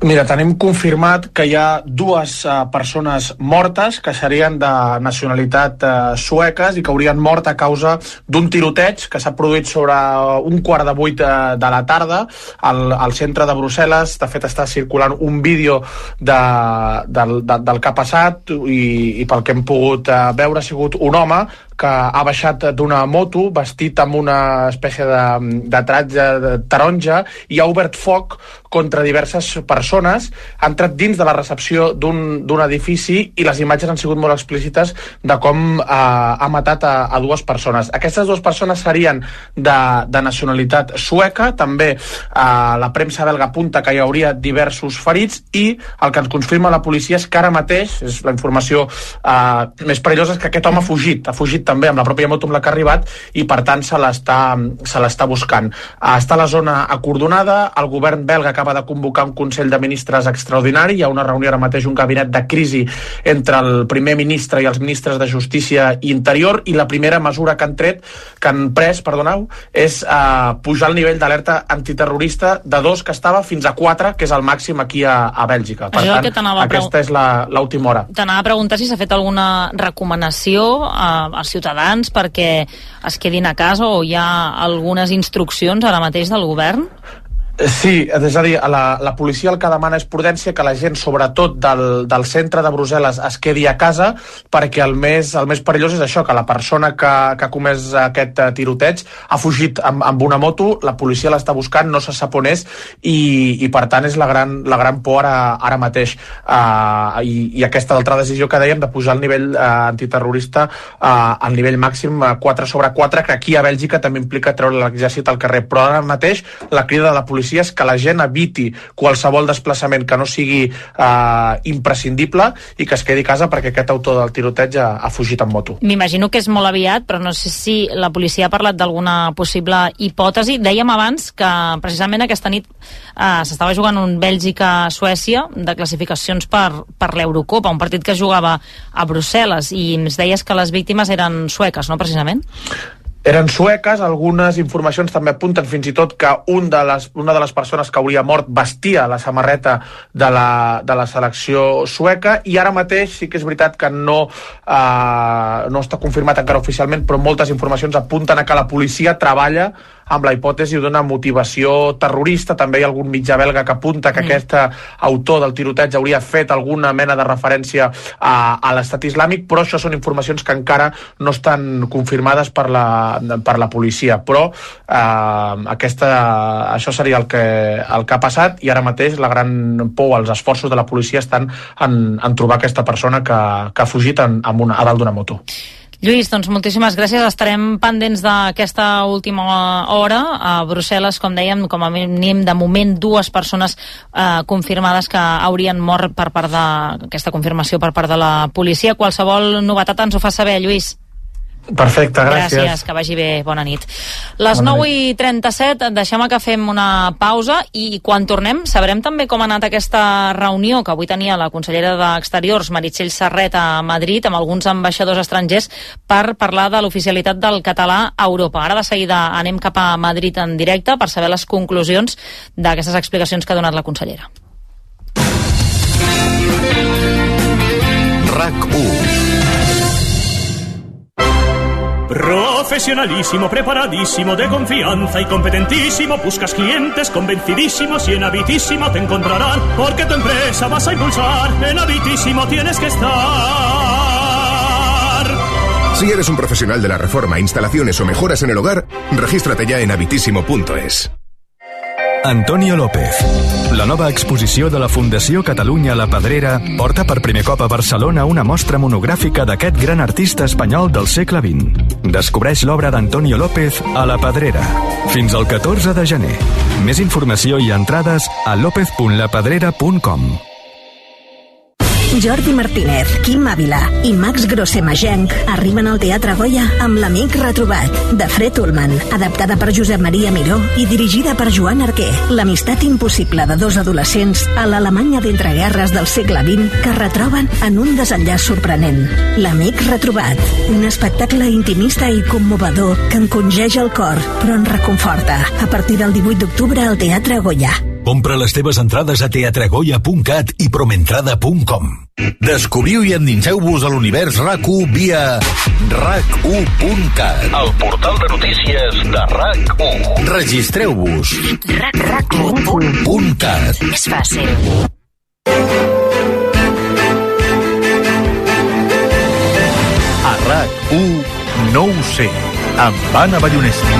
Mira, tenim confirmat que hi ha dues uh, persones mortes que serien de nacionalitat uh, sueques i que haurien mort a causa d'un tiroteig que s'ha produït sobre un quart de vuit uh, de la tarda al, al centre de Brussel·les. De fet, està circulant un vídeo de, del, de, del que ha passat i, i pel que hem pogut uh, veure ha sigut un home que ha baixat d'una moto vestit amb una espècie de, de tratge de taronja i ha obert foc contra diverses persones, ha entrat dins de la recepció d'un edifici i les imatges han sigut molt explícites de com eh, ha matat a, a dues persones. Aquestes dues persones serien de, de nacionalitat sueca, també eh, la premsa belga apunta que hi hauria diversos ferits i el que ens confirma la policia és que ara mateix, és la informació eh, més perillosa, és que aquest home ha fugit, ha fugit també amb la pròpia moto amb la que ha arribat i per tant se l'està se l'està buscant. Està a la zona acordonada, el govern belga acaba de convocar un Consell de Ministres extraordinari, hi ha una reunió ara mateix, un gabinet de crisi entre el primer ministre i els ministres de Justícia i Interior, i la primera mesura que han tret, que han pres, perdoneu, és eh, pujar el nivell d'alerta antiterrorista de dos que estava fins a quatre, que és el màxim aquí a, a Bèlgica. Per Això tant, aquesta és l'última hora. T'anava a preguntar si s'ha fet alguna recomanació a, als ciutadans perquè es quedin a casa o hi ha algunes instruccions ara mateix del govern? Sí, és a dir, la, la policia el que demana és prudència, que la gent, sobretot del, del centre de Brussel·les, es quedi a casa, perquè el més, el més perillós és això, que la persona que, que ha comès aquest tiroteig ha fugit amb, amb una moto, la policia l'està buscant, no se sap on és, i, i per tant és la gran, la gran por ara, ara mateix. Uh, i, I aquesta altra decisió que dèiem de pujar el nivell uh, antiterrorista uh, al nivell màxim uh, quatre sobre quatre, que aquí a Bèlgica també implica treure l'exèrcit al carrer. Però ara mateix la crida de la policia és que la gent eviti qualsevol desplaçament que no sigui eh, imprescindible i que es quedi a casa perquè aquest autor del tiroteig ha, ha fugit en moto. M'imagino que és molt aviat, però no sé si la policia ha parlat d'alguna possible hipòtesi. Dèiem abans que precisament aquesta nit eh, s'estava jugant un Bèlgica-Suècia de classificacions per, per l'Eurocopa, un partit que es jugava a Brussel·les, i ens deies que les víctimes eren sueques, no, precisament? Eren sueques, algunes informacions també apunten fins i tot que un de les, una de les persones que hauria mort vestia la samarreta de la, de la selecció sueca, i ara mateix sí que és veritat que no, eh, no està confirmat encara oficialment, però moltes informacions apunten a que la policia treballa amb la hipòtesi d'una motivació terrorista. També hi ha algun mitjà belga que apunta que mm. aquest autor del tiroteig hauria fet alguna mena de referència a, a l'estat islàmic, però això són informacions que encara no estan confirmades per la, per la policia. Però eh, aquesta, això seria el que, el que ha passat, i ara mateix la gran por, els esforços de la policia estan en, en trobar aquesta persona que, que ha fugit en, en una, a dalt d'una moto. Lluís, doncs moltíssimes gràcies. Estarem pendents d'aquesta última hora. A Brussel·les, com dèiem, com a mínim de moment dues persones eh, confirmades que haurien mort per part d'aquesta confirmació per part de la policia. Qualsevol novetat ens ho fa saber, Lluís. Perfecte, gràcies. Gràcies, que vagi bé, bona nit. Les nou i trenta-set, deixem que fem una pausa i quan tornem sabrem també com ha anat aquesta reunió que avui tenia la consellera d'Exteriors, Meritxell Serret, a Madrid, amb alguns ambaixadors estrangers per parlar de l'oficialitat del català a Europa. Ara de seguida anem cap a Madrid en directe per saber les conclusions d'aquestes explicacions que ha donat la consellera. RAC u. Profesionalísimo, preparadísimo, de confianza y competentísimo. Buscas clientes convencidísimos y en Habitísimo te encontrarán, porque tu empresa vas a impulsar. En Habitísimo tienes que estar. Si eres un profesional de la reforma, instalaciones o mejoras en el hogar, regístrate ya en habitísimo punto es. Antonio López. La nova exposició de la Fundació Catalunya La Pedrera porta per primer cop a Barcelona una mostra monogràfica d'aquest gran artista espanyol del segle vint. Descobreix l'obra d'Antonio López a La Pedrera. Fins al catorze de gener. Més informació i entrades a lopez punt la pedrera punt com. Jordi Martínez, Quim Ávila i Max Grossemagenc arriben al Teatre Goya amb L'Amic Retrobat, de Fred Ullman, adaptada per Josep Maria Miró i dirigida per Joan Arquer. L'amistat impossible de dos adolescents a l'Alemanya d'entreguerres del segle vint que retroben en un desenllaç sorprenent. L'Amic Retrobat, un espectacle intimista i commovedor que encongeix el cor, però en reconforta. A partir del divuit d'octubre al Teatre Goya. Compra les teves entrades a teatregoya punt cat i promentrada punt com. Descobriu i endinseu-vos a l'univers R A C u via R A C u punt cat, el portal de notícies de R A C u. Registreu-vos. R A C u punt cat. És fàcil. A R A C u no ho sé, amb Anna Ballonesta.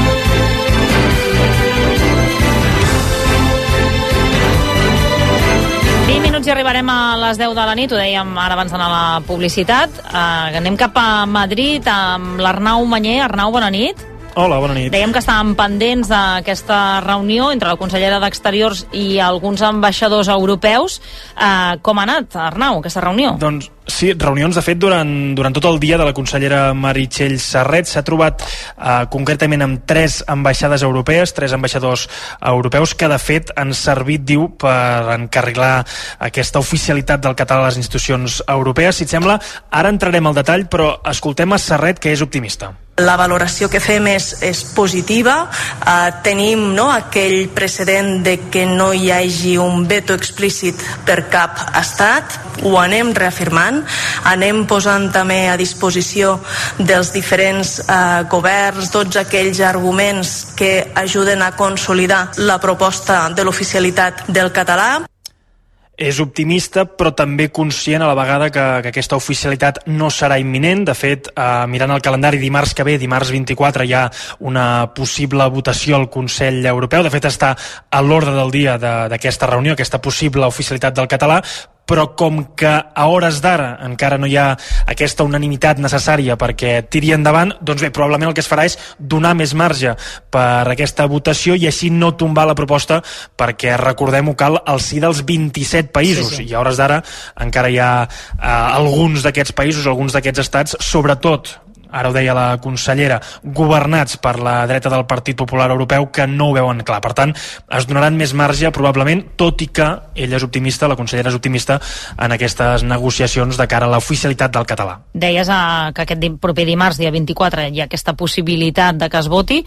vint minuts i arribarem a les deu de la nit, ho dèiem ara abans d'anar a la publicitat. Uh, anem cap a Madrid amb l'Arnau Manyer. Arnau, bona nit. Hola, bona nit. Dèiem que estàvem pendents d'aquesta reunió entre la consellera d'Exteriors i alguns ambaixadors europeus. Uh, com ha anat, Arnau, aquesta reunió? Doncs sí, reunions, de fet, durant, durant tot el dia de la consellera Meritxell Serret. S'ha trobat eh, concretament amb tres ambaixades europees, tres ambaixadors europeus, que de fet han servit, diu, per encarrilar aquesta oficialitat del català a les institucions europees. Si et sembla, ara entrarem al detall, però escoltem a Serret, que és optimista. La valoració que fem és, és positiva. Eh, tenim no, aquell precedent de que no hi hagi un veto explícit per cap estat. Ho anem reafirmant. Anem posant també a disposició dels diferents eh, governs tots aquells arguments que ajuden a consolidar la proposta de l'oficialitat del català. És optimista, però també conscient a la vegada que, que aquesta oficialitat no serà imminent. De fet, eh, mirant el calendari, dimarts que ve, dimarts vint-i-quatre, hi ha una possible votació al Consell Europeu. De fet, està a l'ordre del dia d'aquesta reunió, aquesta possible oficialitat del català, però com que a hores d'ara encara no hi ha aquesta unanimitat necessària perquè tiri endavant, doncs bé, probablement el que es farà és donar més marge per aquesta votació i així no tombar la proposta, perquè recordem-ho, cal el sí dels vint-i-set països, sí, sí. I a hores d'ara encara hi ha eh, alguns d'aquests països, alguns d'aquests estats, sobretot, ara ho deia la consellera, governats per la dreta del Partit Popular Europeu, que no ho veuen clar. Per tant, es donaran més marge, probablement, tot i que ella és optimista, la consellera és optimista en aquestes negociacions de cara a l'oficialitat del català. Deies uh, que aquest proper dimarts, dia vint-i-quatre, hi ha aquesta possibilitat de que es voti.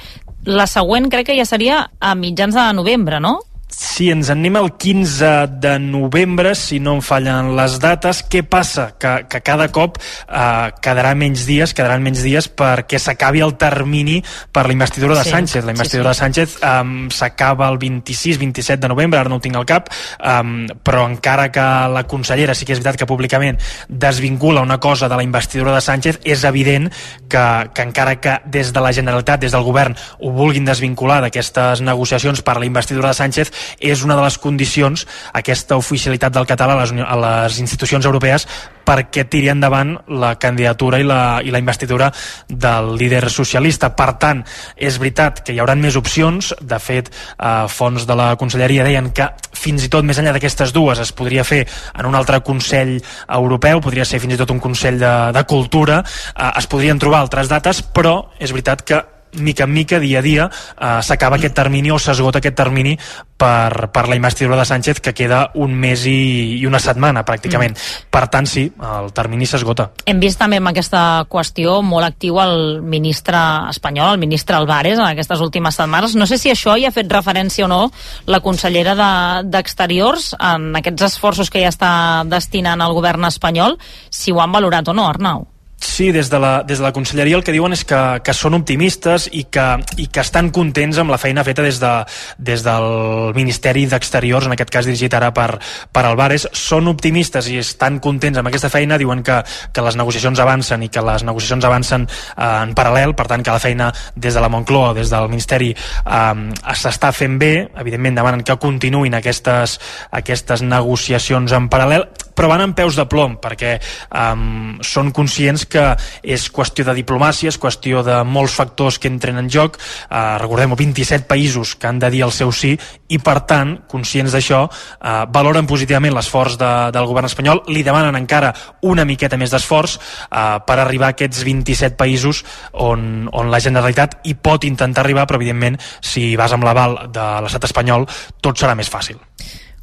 La següent crec que ja seria a mitjans de novembre, no? Sí, ens en anem al quinze de novembre, si no em fallen les dates. Què passa? Que, que cada cop eh, quedarà menys dies, quedaran menys dies perquè s'acabi el termini per la investidura de sí, Sánchez. La investidura sí, sí. de Sánchez um, s'acaba el vint-i-sis vint-i-set de novembre, ara no ho tinc al cap, um, però encara que la consellera, sí que és veritat que públicament desvincula una cosa de la investidura de Sánchez, és evident que, que encara que des de la Generalitat, des del govern, ho vulguin desvincular d'aquestes negociacions per la investidura de Sánchez, és una de les condicions, aquesta oficialitat del català a les, a les institucions europees, perquè tiri endavant la candidatura i la, i la investidura del líder socialista. Per tant, és veritat que hi haurà més opcions. De fet, eh, fonts de la conselleria deien que fins i tot més enllà d'aquestes dues es podria fer en un altre Consell Europeu, podria ser fins i tot un Consell de, de Cultura, eh, es podrien trobar altres dates, però és veritat que mica en mica, dia a dia, eh, s'acaba aquest termini o s'esgota aquest termini per, per la investidura de Sánchez, que queda un mes i, i una setmana, pràcticament. Mm. Per tant, sí, el termini s'esgota. Hem vist també amb aquesta qüestió molt actiu el ministre espanyol, el ministre Álvarez, en aquestes últimes setmanes. No sé si això hi ha fet referència o no la consellera d'Exteriors de, en aquests esforços que ja està destinant el govern espanyol, si ho han valorat o no, Arnau. Sí, des de la, des de la conselleria el que diuen és que, que són optimistes i que, i que estan contents amb la feina feta des, de, des del Ministeri d'Exteriors, en aquest cas dirigit ara per, per Álvarez. Són optimistes i estan contents amb aquesta feina, diuen que, que les negociacions avancen i que les negociacions avancen eh, en paral·lel, per tant que la feina des de la Moncloa, des del Ministeri eh, s'està fent bé. Evidentment demanen que continuïn aquestes, aquestes negociacions en paral·lel, però van amb peus de plom, perquè um, són conscients que és qüestió de diplomàcia, és qüestió de molts factors que entren en joc. Uh, recordem-ho, vint-i-set països que han de dir el seu sí, i per tant, conscients d'això, uh, valoren positivament l'esforç de, del govern espanyol, li demanen encara una miqueta més d'esforç uh, per arribar a aquests vint-i-set països on, on la Generalitat hi pot intentar arribar, però evidentment, si vas amb l'aval de l'estat espanyol, tot serà més fàcil.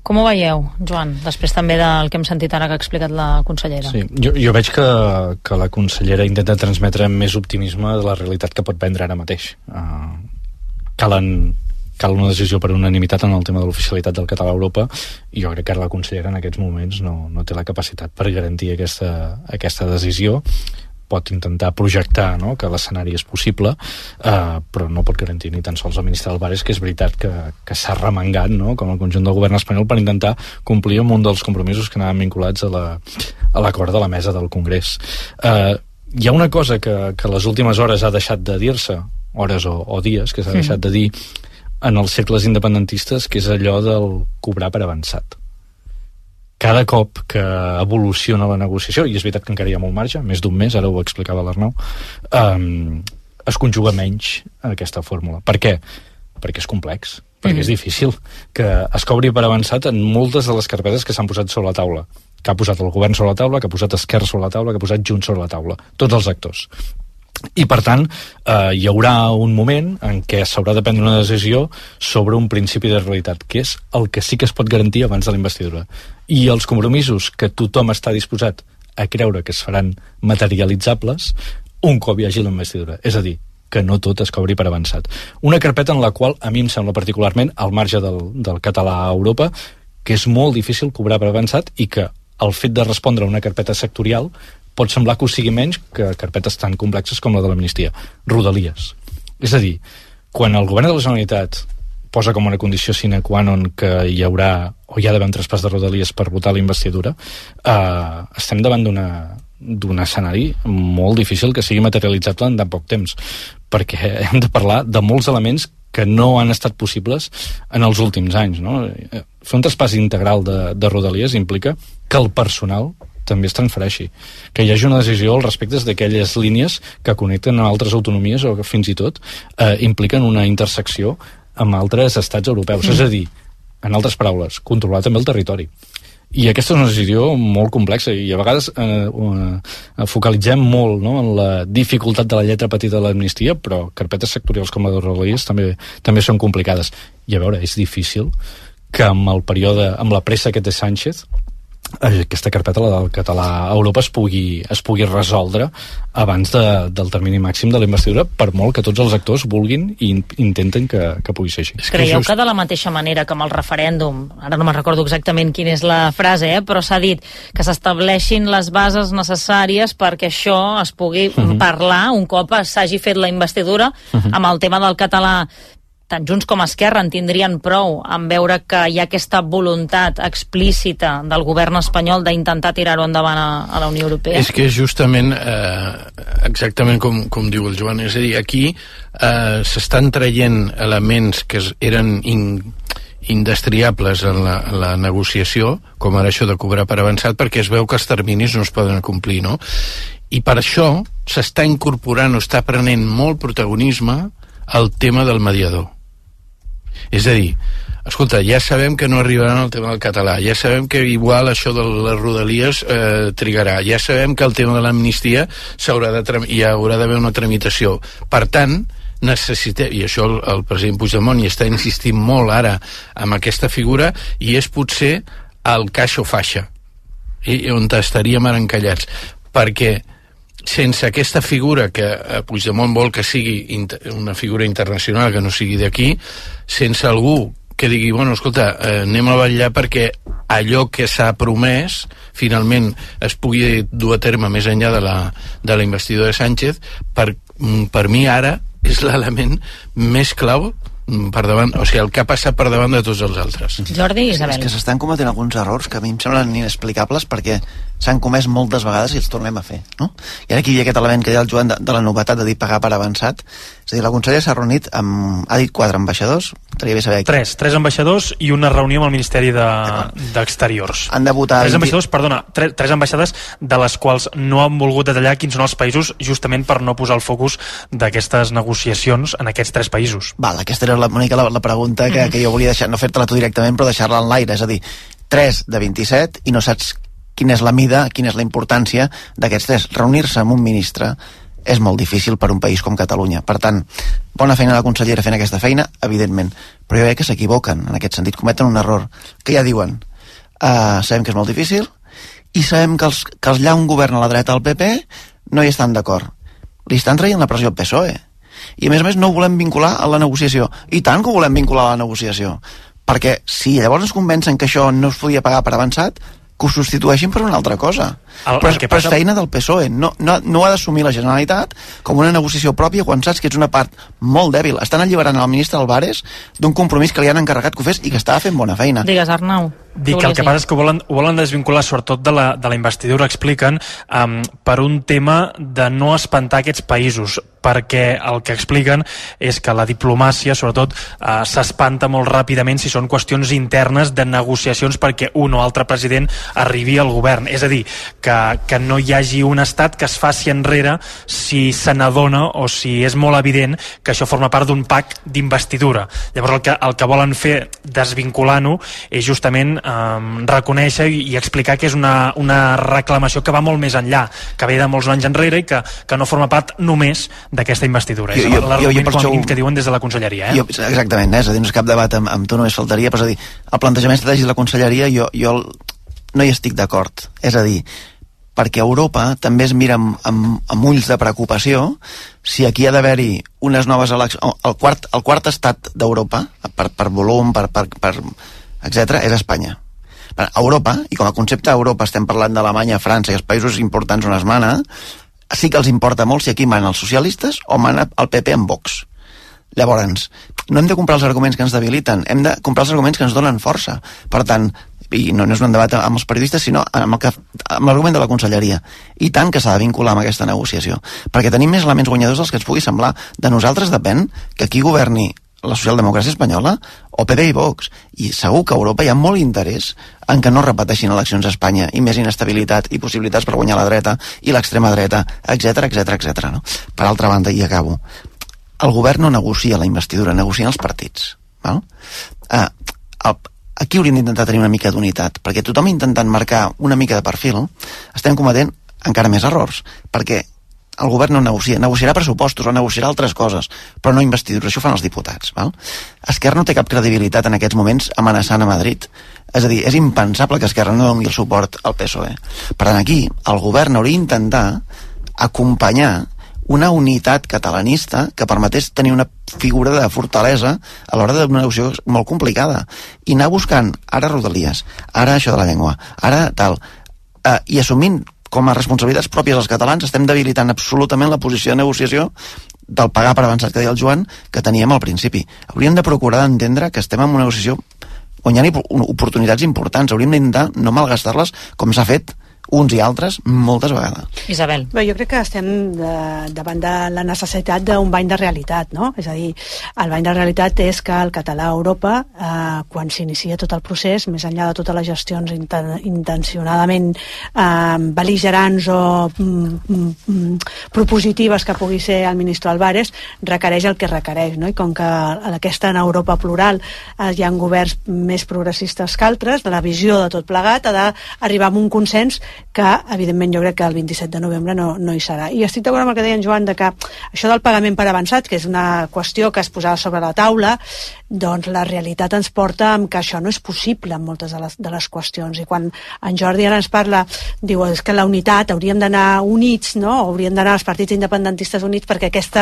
Com ho veieu, Joan, després també del que hem sentit ara que ha explicat la consellera? Sí, jo, jo veig que, que la consellera intenta transmetre més optimisme de la realitat que pot vendre ara mateix. Uh, calen cal una decisió per unanimitat en el tema de l'oficialitat del català a Europa, i jo crec que la consellera en aquests moments no, no té la capacitat per garantir aquesta, aquesta decisió. Pot intentar projectar, no?, que l'escenari és possible, eh, però no pot garantir ni tan sols el ministre Álvarez, que és veritat que, que s'ha remengat, no?, com el conjunt del govern espanyol, per intentar complir amb un dels compromisos que anaven vinculats a la, a l'acord de la mesa del Congrés. Eh, hi ha una cosa que, que les últimes hores ha deixat de dir-se, hores o, o dies, que s'ha deixat de dir en els cercles independentistes, que és allò del cobrar per avançat. Cada cop que evoluciona la negociació, i és veritat que encara hi ha molt marge, més d'un mes, ara ho explicava l'Arnau, um, es conjuga menys aquesta fórmula. Per què? Perquè és complex, perquè mm. és difícil que es cobri per avançat en moltes de les carpetes que s'han posat sobre la taula, que ha posat el govern sobre la taula, que ha posat Esquerra sobre la taula, que ha posat Junts sobre la taula, tots els actors. I per tant eh, hi haurà un moment en què s'haurà de prendre una decisió sobre un principi de realitat, que és el que sí que es pot garantir abans de la investidura, i els compromisos que tothom està disposat a creure que es faran materialitzables un cop hi hagi la investidura, és a dir, que no tot es cobri per avançat. Una carpeta en la qual a mi em sembla particularment, al marge del, del català a Europa, que és molt difícil cobrar per avançat, i que el fet de respondre a una carpeta sectorial pot semblar que ho sigui menys que carpetes tan complexes com la de l'amnistia. Rodalies. És a dir, quan el govern de la Generalitat posa com una condició sine qua non que hi haurà, o hi ha d'haver un traspàs de Rodalies per votar la investidura, eh, estem davant d'una d'un escenari molt difícil que sigui materialitzable en tan poc temps, perquè hem de parlar de molts elements que no han estat possibles en els últims anys, no? Fer un traspàs integral de, de Rodalies implica que el personal també es transfereixi, que hi hagi una decisió al respecte d'aquelles línies que connecten a altres autonomies o que fins i tot eh, impliquen una intersecció amb altres estats europeus. Mm. És a dir, en altres paraules, controlar també el territori. I aquesta és una decisió molt complexa, i a vegades eh, eh, focalitzem molt, no?, en la dificultat de la lletra petita de l'amnistia, però carpetes sectorials com la de Rodalies també, també són complicades. I a veure, és difícil que amb el període, amb la pressa que té Sánchez, aquesta carpeta, la del català a Europa, es pugui, es pugui resoldre abans de, del termini màxim de la investidura, per molt que tots els actors vulguin i intenten que, que pugui ser així. Creieu que de la mateixa manera que amb el referèndum, ara no me'n recordo exactament quina és la frase, eh, però s'ha dit que s'estableixin les bases necessàries perquè això es pugui uh-huh. parlar un cop s'hagi fet la investidura, uh-huh. amb el tema del català, tant Junts com Esquerra en tindrien prou en veure que hi ha aquesta voluntat explícita del govern espanyol d'intentar tirar-ho endavant a, a la Unió Europea? És que és justament eh, exactament com, com diu el Joan, és a dir, aquí eh, s'estan traient elements que eren in, indestriables en la, en la negociació, com ara això de cobrar per avançat, perquè es veu que els terminis no es poden complir, no? I per això s'està incorporant o està prenent molt protagonisme el tema del mediador. És a dir, escolta, ja sabem que no arribaran al tema del català, ja sabem que igual això de les Rodalies eh, trigarà, ja sabem que el tema de l'amnistia s'haurà de tram- hi haurà d'haver una tramitació. Per tant, necessitem, i això el, el president Puigdemont hi està insistint molt ara amb aquesta figura, i és potser el caixa o faixa, i, on estaríem ara encallats, perquè sense aquesta figura que Puigdemont vol que sigui inter- una figura internacional, que no sigui d'aquí, sense algú que digui, bueno, escolta, eh, anem a vetllar perquè allò que s'ha promès finalment es pugui dur a terme més enllà de la, de la investidura de Sánchez, per, per mi ara és l'element més clau per davant, o sigui, el que ha passat per davant de tots els altres. Jordi i Isabel. És que s'estan cometent alguns errors que a mi em semblen inexplicables perquè s'han comès moltes vegades i els tornem a fer, no? I ara aquí hi ha aquest element que deia el Joan de, de la novetat de dir pagar per avançat. És a dir, la consellera s'ha reunit amb, ha dit quatre ambaixadors, estaria bé saber aquí. Tres, tres ambaixadors i una reunió amb el Ministeri de, d'Exteriors. Han de votar... Tres ambaixadors, perdona, tres, tres ambaixades de les quals no han volgut detallar quins són els països, justament per no posar el focus d'aquestes negociacions en aquests tres països. Val, aquesta era la, Mònica, la, la pregunta que, que jo volia deixar, no fer-te-la tu directament, però deixar-la en l'aire, és a dir, tres de vint-i-set i no saps quina és la mida, quina és la importància d'aquests tres. Reunir-se amb un ministre és molt difícil per un país com Catalunya. Per tant, bona feina la consellera fent aquesta feina, evidentment, però jo crec que s'equivoquen en aquest sentit, cometen un error, que ja diuen, uh, sabem que és molt difícil i sabem que els, que els lla un govern a la dreta al P P no hi estan d'acord. Li estan traient la pressió al P S O E. i a més a més no ho volem vincular a la negociació. I tant que ho volem vincular a la negociació, perquè si llavors ens convencen que això no es podia pagar per avançat, que ho substitueixin per una altra cosa. El, però, el que passa... però és feina del P S O E. No, no, no ha d'assumir la Generalitat com una negociació pròpia quan saps que ets una part molt dèbil. Estan alliberant el ministre Álvarez d'un compromís que li han encarregat que ho fes i que estava fent bona feina. Digues, Arnau. Dic que el que passa és que ho volen, ho volen desvincular sobretot de la, de la investidura, expliquen, um, per un tema de no espantar aquests països, perquè el que expliquen és que la diplomàcia, sobretot, uh, s'espanta molt ràpidament si són qüestions internes de negociacions perquè un o altre president arribi al govern. És a dir, que, que no hi hagi un estat que es faci enrere si se n'adona o si és molt evident que això forma part d'un pacte d'investidura. Llavors el que, el que volen fer desvinculant-ho és justament Um, reconèixer i, i explicar que és una, una reclamació que va molt més enllà, que ve de molts anys enrere i que, que no forma part només d'aquesta investidura. Jo, és l'argument com a mínim que diuen des de la Conselleria. Eh? Jo, exactament, eh? És a dir, no és cap debat amb, amb tu, només faltaria, però és a dir, el plantejament estratègic de la Conselleria jo, jo no hi estic d'acord. És a dir, perquè Europa també es mira amb, amb, amb ulls de preocupació si aquí ha d'haver-hi unes noves eleccions. El quart, el quart estat d'Europa, per, per volum, per... per, per etcètera, és Espanya. A Europa, i com a concepte Europa estem parlant d'Alemanya, França i els països importants on es mana, sí que els importa molt si aquí manen els socialistes o mana el P P amb Vox. Llavors, no hem de comprar els arguments que ens debiliten, hem de comprar els arguments que ens donen força. Per tant, i no, no és un debat amb els periodistes, sinó amb l'argument de la Conselleria. I tant que s'ha de vincular amb aquesta negociació, perquè tenim més elements guanyadors dels que ens pugui semblar. De nosaltres depèn que qui governi la socialdemocràcia espanyola o P P i Vox, i segur que a Europa hi ha molt interès en que no repeteixin eleccions a Espanya i més inestabilitat i possibilitats per guanyar la dreta i l'extrema dreta, etcètera, etcètera, etcètera, no? Per altra banda, i acabo, el govern no negocia la investidura, negocien els partits, val? Uh, el, aquí hauríem d'intentar tenir una mica d'unitat, perquè tothom intentant marcar una mica de perfil, estem cometent encara més errors, perquè el govern no negocia, negociarà pressupostos o negociarà altres coses, però no investidura, això ho fan els diputats, val? Esquerra no té cap credibilitat en aquests moments amenaçant a Madrid, és a dir, és impensable que Esquerra no doni el suport al P S O E. Per tant, aquí el govern hauria d'intentar acompanyar una unitat catalanista que permetés tenir una figura de fortalesa a l'hora d'una negociació molt complicada, i anar buscant ara Rodalies, ara això de la llengua, ara tal, eh, i assumint com a responsabilitats pròpies dels catalans, estem debilitant absolutament la posició de negociació del pagar per avançat que deia el Joan, que teníem al principi. Hauríem de procurar d'entendre que estem en una negociació on hi ha oportunitats importants. Hauríem d'intentar no malgastar-les com s'ha fet uns i altres moltes vegades. Isabel. Bé, jo crec que estem de, davant de la necessitat d'un bany de realitat, no? És a dir, el bany de realitat és que el català a Europa, eh, quan s'inicia tot el procés, més enllà de totes les gestions inten intencionadament eh, beligerants o mm, mm, propositives que pugui ser el ministre Álvarez, requereix el que requereix, no? I com que aquesta en Europa plural eh, hi ha governs més progressistes que altres, de la visió de tot plegat, ha d'arribar a un consens que, evidentment, jo crec que el vint-i-set de novembre no, no hi serà. I estic d'acord amb el que deia en Joan, de que això del pagament per avançat, que és una qüestió que es posava sobre la taula, doncs la realitat ens porta amb que això no és possible en moltes de les, de les qüestions. I quan en Jordi ara ens parla, diu, és que la unitat, hauríem d'anar units, no? Hauríem d'anar els partits independentistes units perquè aquest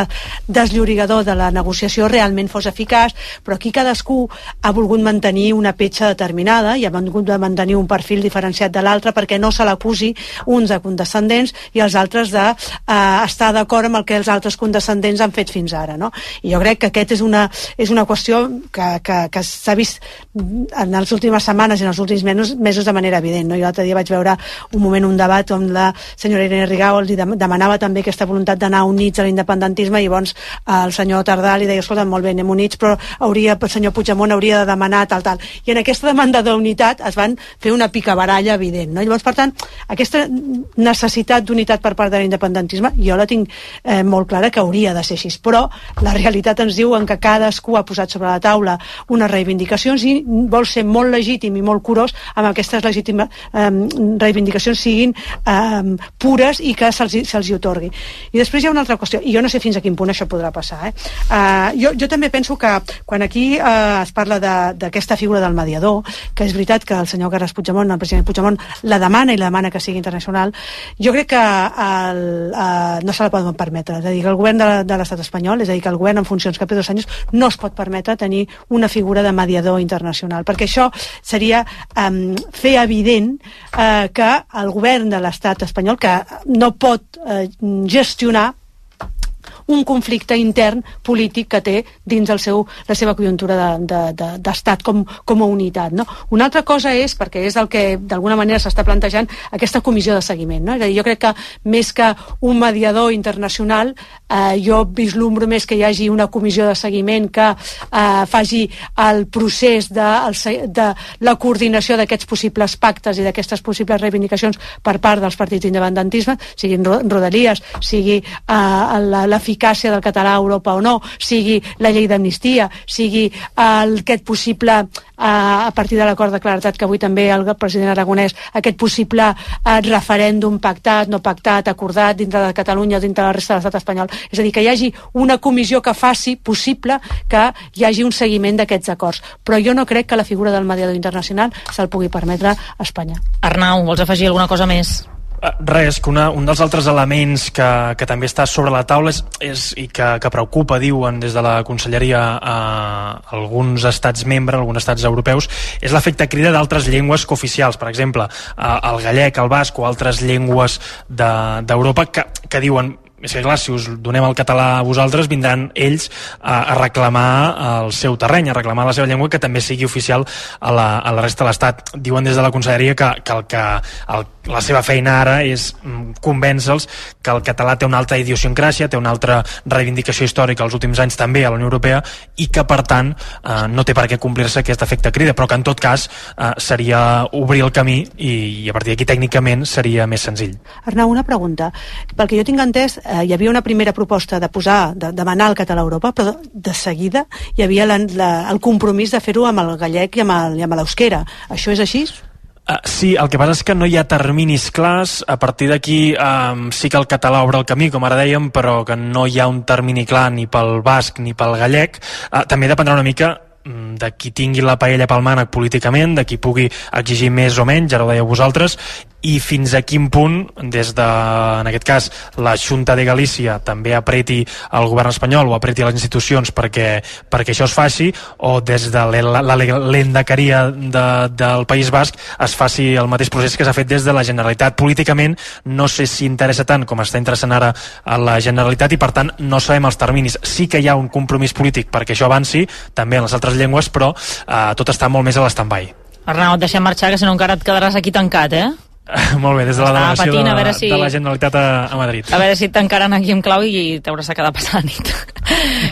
desllorigador de la negociació realment fos eficaç, però aquí cadascú ha volgut mantenir una petja determinada i ha volgut mantenir un perfil diferenciat de l'altre perquè no se l'acusi uns de condescendents i els altres de eh, estar d'acord amb el que els altres condescendents han fet fins ara, no? I jo crec que aquest és una, és una qüestió que, que, que s'ha vist en les últimes setmanes i en els últims mesos, mesos de manera evident, no? Jo l'altre dia vaig veure un moment, un debat on la senyora Irene Rigau li demanava també aquesta voluntat d'anar units a l'independentisme i llavors el senyor Tardà li deia, escolta, molt bé, anem units, però hauria, el senyor Puigdemont hauria de demanar tal, tal. I en aquesta demanda d'unitat es van fer una picabaralla evident, no? Llavors, per tant, aquesta necessitat d'unitat per part de l'independentisme jo la tinc eh, molt clara que hauria de ser així, però la realitat ens diu en que cadascú ha posat sobre la taula unes reivindicacions i vol ser molt legítim i molt curós amb aquestes legítimes eh, reivindicacions siguin eh, pures i que se'ls se hi otorgui. I després hi ha una altra qüestió, i jo no sé fins a quin punt això podrà passar, eh? Eh, jo, jo també penso que quan aquí eh, es parla d'aquesta figura del mediador, que és veritat que el senyor Carles Puigdemont, el president Puigdemont, la demana i la demana demana que sigui internacional. Jo crec que el, el, no se la poden permetre. És a dir, que el govern de, de l'estat espanyol, és a dir, que el govern en funcions que Pedro Sánchez no es pot permetre tenir una figura de mediador internacional, perquè això seria um, fer evident uh, que el govern de l'estat espanyol, que no pot uh, gestionar un conflicte intern polític que té dins el seu, la seva conjuntura d'estat de, de, de, com, com a unitat, no? Una altra cosa és, perquè és el que d'alguna manera s'està plantejant, aquesta comissió de seguiment, no? És a dir, jo crec que més que un mediador internacional, eh, jo vislumbro més que hi hagi una comissió de seguiment que eh, faci el procés de, el, de la coordinació d'aquests possibles pactes i d'aquestes possibles reivindicacions per part dels partits d'independentisme, siguin Rodalies, sigui eh, l'eficàcia del català a Europa o no, sigui la llei d'amnistia, sigui el, aquest possible, eh, a partir de l'acord de claredat que avui també el president Aragonès, aquest possible eh, referèndum pactat, no pactat, acordat dintre de Catalunya o dintre de la resta de l'estat espanyol. És a dir, que hi hagi una comissió que faci possible que hi hagi un seguiment d'aquests acords. Però jo no crec que la figura del mediador internacional se'l pugui permetre a Espanya. Arnau, vols afegir alguna cosa més? Res, que una, un dels altres elements que, que també està sobre la taula és, és, i que, que preocupa, diuen des de la Conselleria, a alguns estats membres, alguns estats europeus, és l'efecte crida d'altres llengües cooficials, per exemple, el gallec, el basc o altres llengües d'Europa de, que, que diuen... És que clar, si us donem el català a vosaltres, vindran ells a, a reclamar el seu terreny, a reclamar la seva llengua, que també sigui oficial a la, a la resta de l'Estat. Diuen des de la Conselleria que, que, el, que el, la seva feina ara és convèncer-los que el català té una altra idiosincràsia, té una altra reivindicació històrica els últims anys també a la Unió Europea i que, per tant, eh, no té per què complir-se aquest efecte crida, però que en tot cas eh, seria obrir el camí i, i a partir d'aquí tècnicament seria més senzill. Arnau, una pregunta. Pel que jo tinc entès, hi havia una primera proposta de posar, de demanar el català a Europa, però de seguida hi havia la, la, el compromís de fer-ho amb el gallec i amb l'euskera. Això és així? Uh, sí, el que passa és que no hi ha terminis clars. A partir d'aquí um, sí que el català obre el camí, com ara dèiem, però que no hi ha un termini clar ni pel basc ni pel gallec. Uh, també dependrà una mica de qui tingui la paella pel mànec políticament, de qui pugui exigir més o menys, ara ho dèieu vosaltres, i fins a quin punt, des de, en aquest cas, la Xunta de Galícia també apreti el govern espanyol o apreti les institucions perquè, perquè això es faci, o des de l'endacaria de, del País Basc es faci el mateix procés que s'ha fet des de la Generalitat. Políticament no sé si interessa tant com està interessant ara a la Generalitat i per tant no sabem els terminis. Sí que hi ha un compromís polític perquè això avanci, també en les altres llengües, però eh, tot està molt més a l'stand-by. Arnau, et deixem marxar, que si no encara et quedaràs aquí tancat, eh? Molt bé, des de la delegació patint, de, si... de la Generalitat a, a Madrid. A veure si et tancaran aquí amb clau i t'hauràs de quedar passar la nit.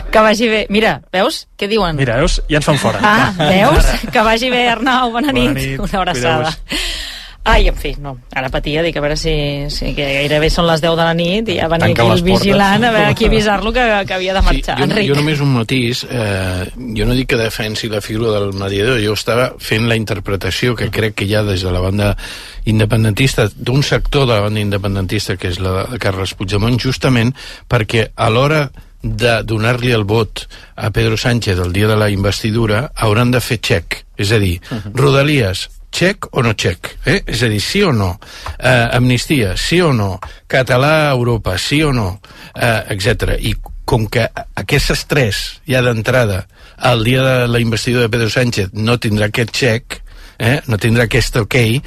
Que vagi bé. Mira, veus? Què diuen? Mira, veus? Ja ens fan fora. Ah, veus? Que vagi bé, Arnau. Bona, Bona nit. nit. Una abraçada. Ai, en fi, no, ara patia, dic, a veure si, si que gairebé són les deu de la nit i ja venia aquí el vigilant a veure aquí avisar-lo que, que havia de marxar. Sí, jo, Enric. jo només un matís, eh, jo no dic que defensi la figura del mediador, jo estava fent la interpretació que crec que hi ha des de la banda independentista, d'un sector de la banda independentista que és la de Carles Puigdemont, justament perquè a l'hora de donar-li el vot a Pedro Sánchez el dia de la investidura hauran de fer xec, és a dir, uh-huh. Rodalies, xec o no xec, eh? És a dir, sí o no, eh, amnistia, sí o no, català a Europa, sí o no, eh, etcètera. I com que aquestes tres, ja d'entrada, el dia de la investidura de Pedro Sánchez no tindrà aquest xec, eh, no tindrà aquest ok, eh,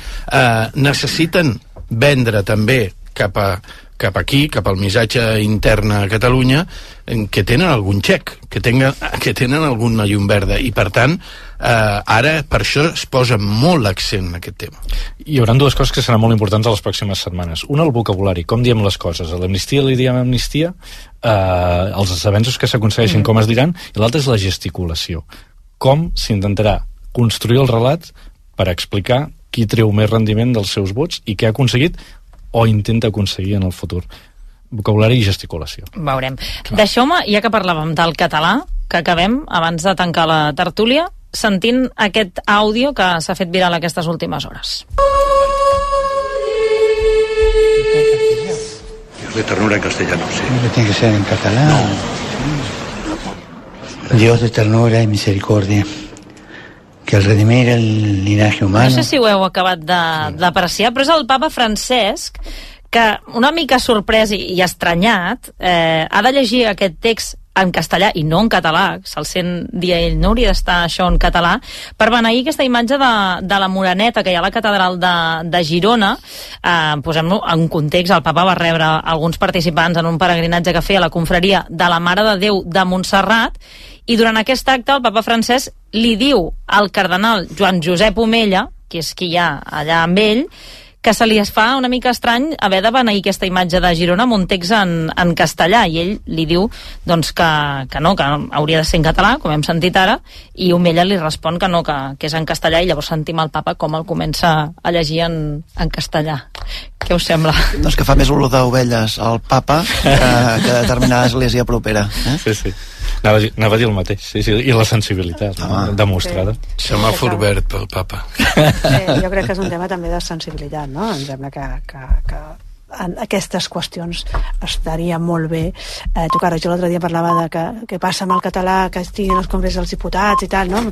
necessiten vendre també cap a cap aquí, cap al missatge intern a Catalunya, que tenen algun xec, que, tenga, que tenen alguna llum verda, i per tant eh, ara per això es posa molt l'accent en aquest tema. Hi haurà dues coses que seran molt importants a les pròximes setmanes. Una, el vocabulari, com diem les coses. A l'amnistia li diem amnistia, eh, els avenços que s'aconsegueixen, mm. com es diran, i l'altra és la gesticulació. Com s'intentarà construir el relat per explicar qui treu més rendiment dels seus vots i què ha aconseguit o intenta aconseguir en el futur. Vocabulari i gesticulació. Veurem. Deixeu-me, ja que parlàvem del català, que acabem, abans de tancar la tertúlia, sentint aquest àudio que s'ha fet viral aquestes últimes hores. Dios de ternura en castellano, sí. ¿No tiene que ser en catalán? No. Dios de ternura y misericordia, que al redimir el linaje humano... No sé si ho heu acabat d'apreciar, però és el papa Francesc que, una mica sorprès i, i estranyat, eh, ha de llegir aquest text en castellà i no en català, se'l sent dir a ell, no hauria d'estar això en català, per beneir aquesta imatge de, de la Moreneta que hi ha a la catedral de, de Girona. Eh, posem-lo en context, el papa va rebre alguns participants en un peregrinatge que feia la confraria de la Mare de Déu de Montserrat, i durant aquest acte el papa Francesc li diu al cardenal Joan Josep Omella, que és qui hi ha allà amb ell, que se li es fa una mica estrany haver de beneir aquesta imatge de Girona amb un text en, en castellà, i ell li diu doncs, que, que no, que hauria de ser en català, com hem sentit ara, i Omella li respon que no, que, que és en castellà, i llavors sentim el papa com el comença a llegir en, en castellà. Què us sembla? Doncs que fa més olor d'ovelles al papa que, que determinada església propera. Eh? Sí, sí. Anava a, dir, anava a dir el mateix, sí, sí, i la sensibilitat ah, demostrada. Sí. Semàfor verd pel papa. Sí, jo crec que és un tema també de sensibilitat, no? Em sembla que, que, que en aquestes qüestions estaria molt bé eh, tocar. Jo l'altre dia parlava de que, que passa amb el català, que estigui en els congrés dels diputats i tal, no?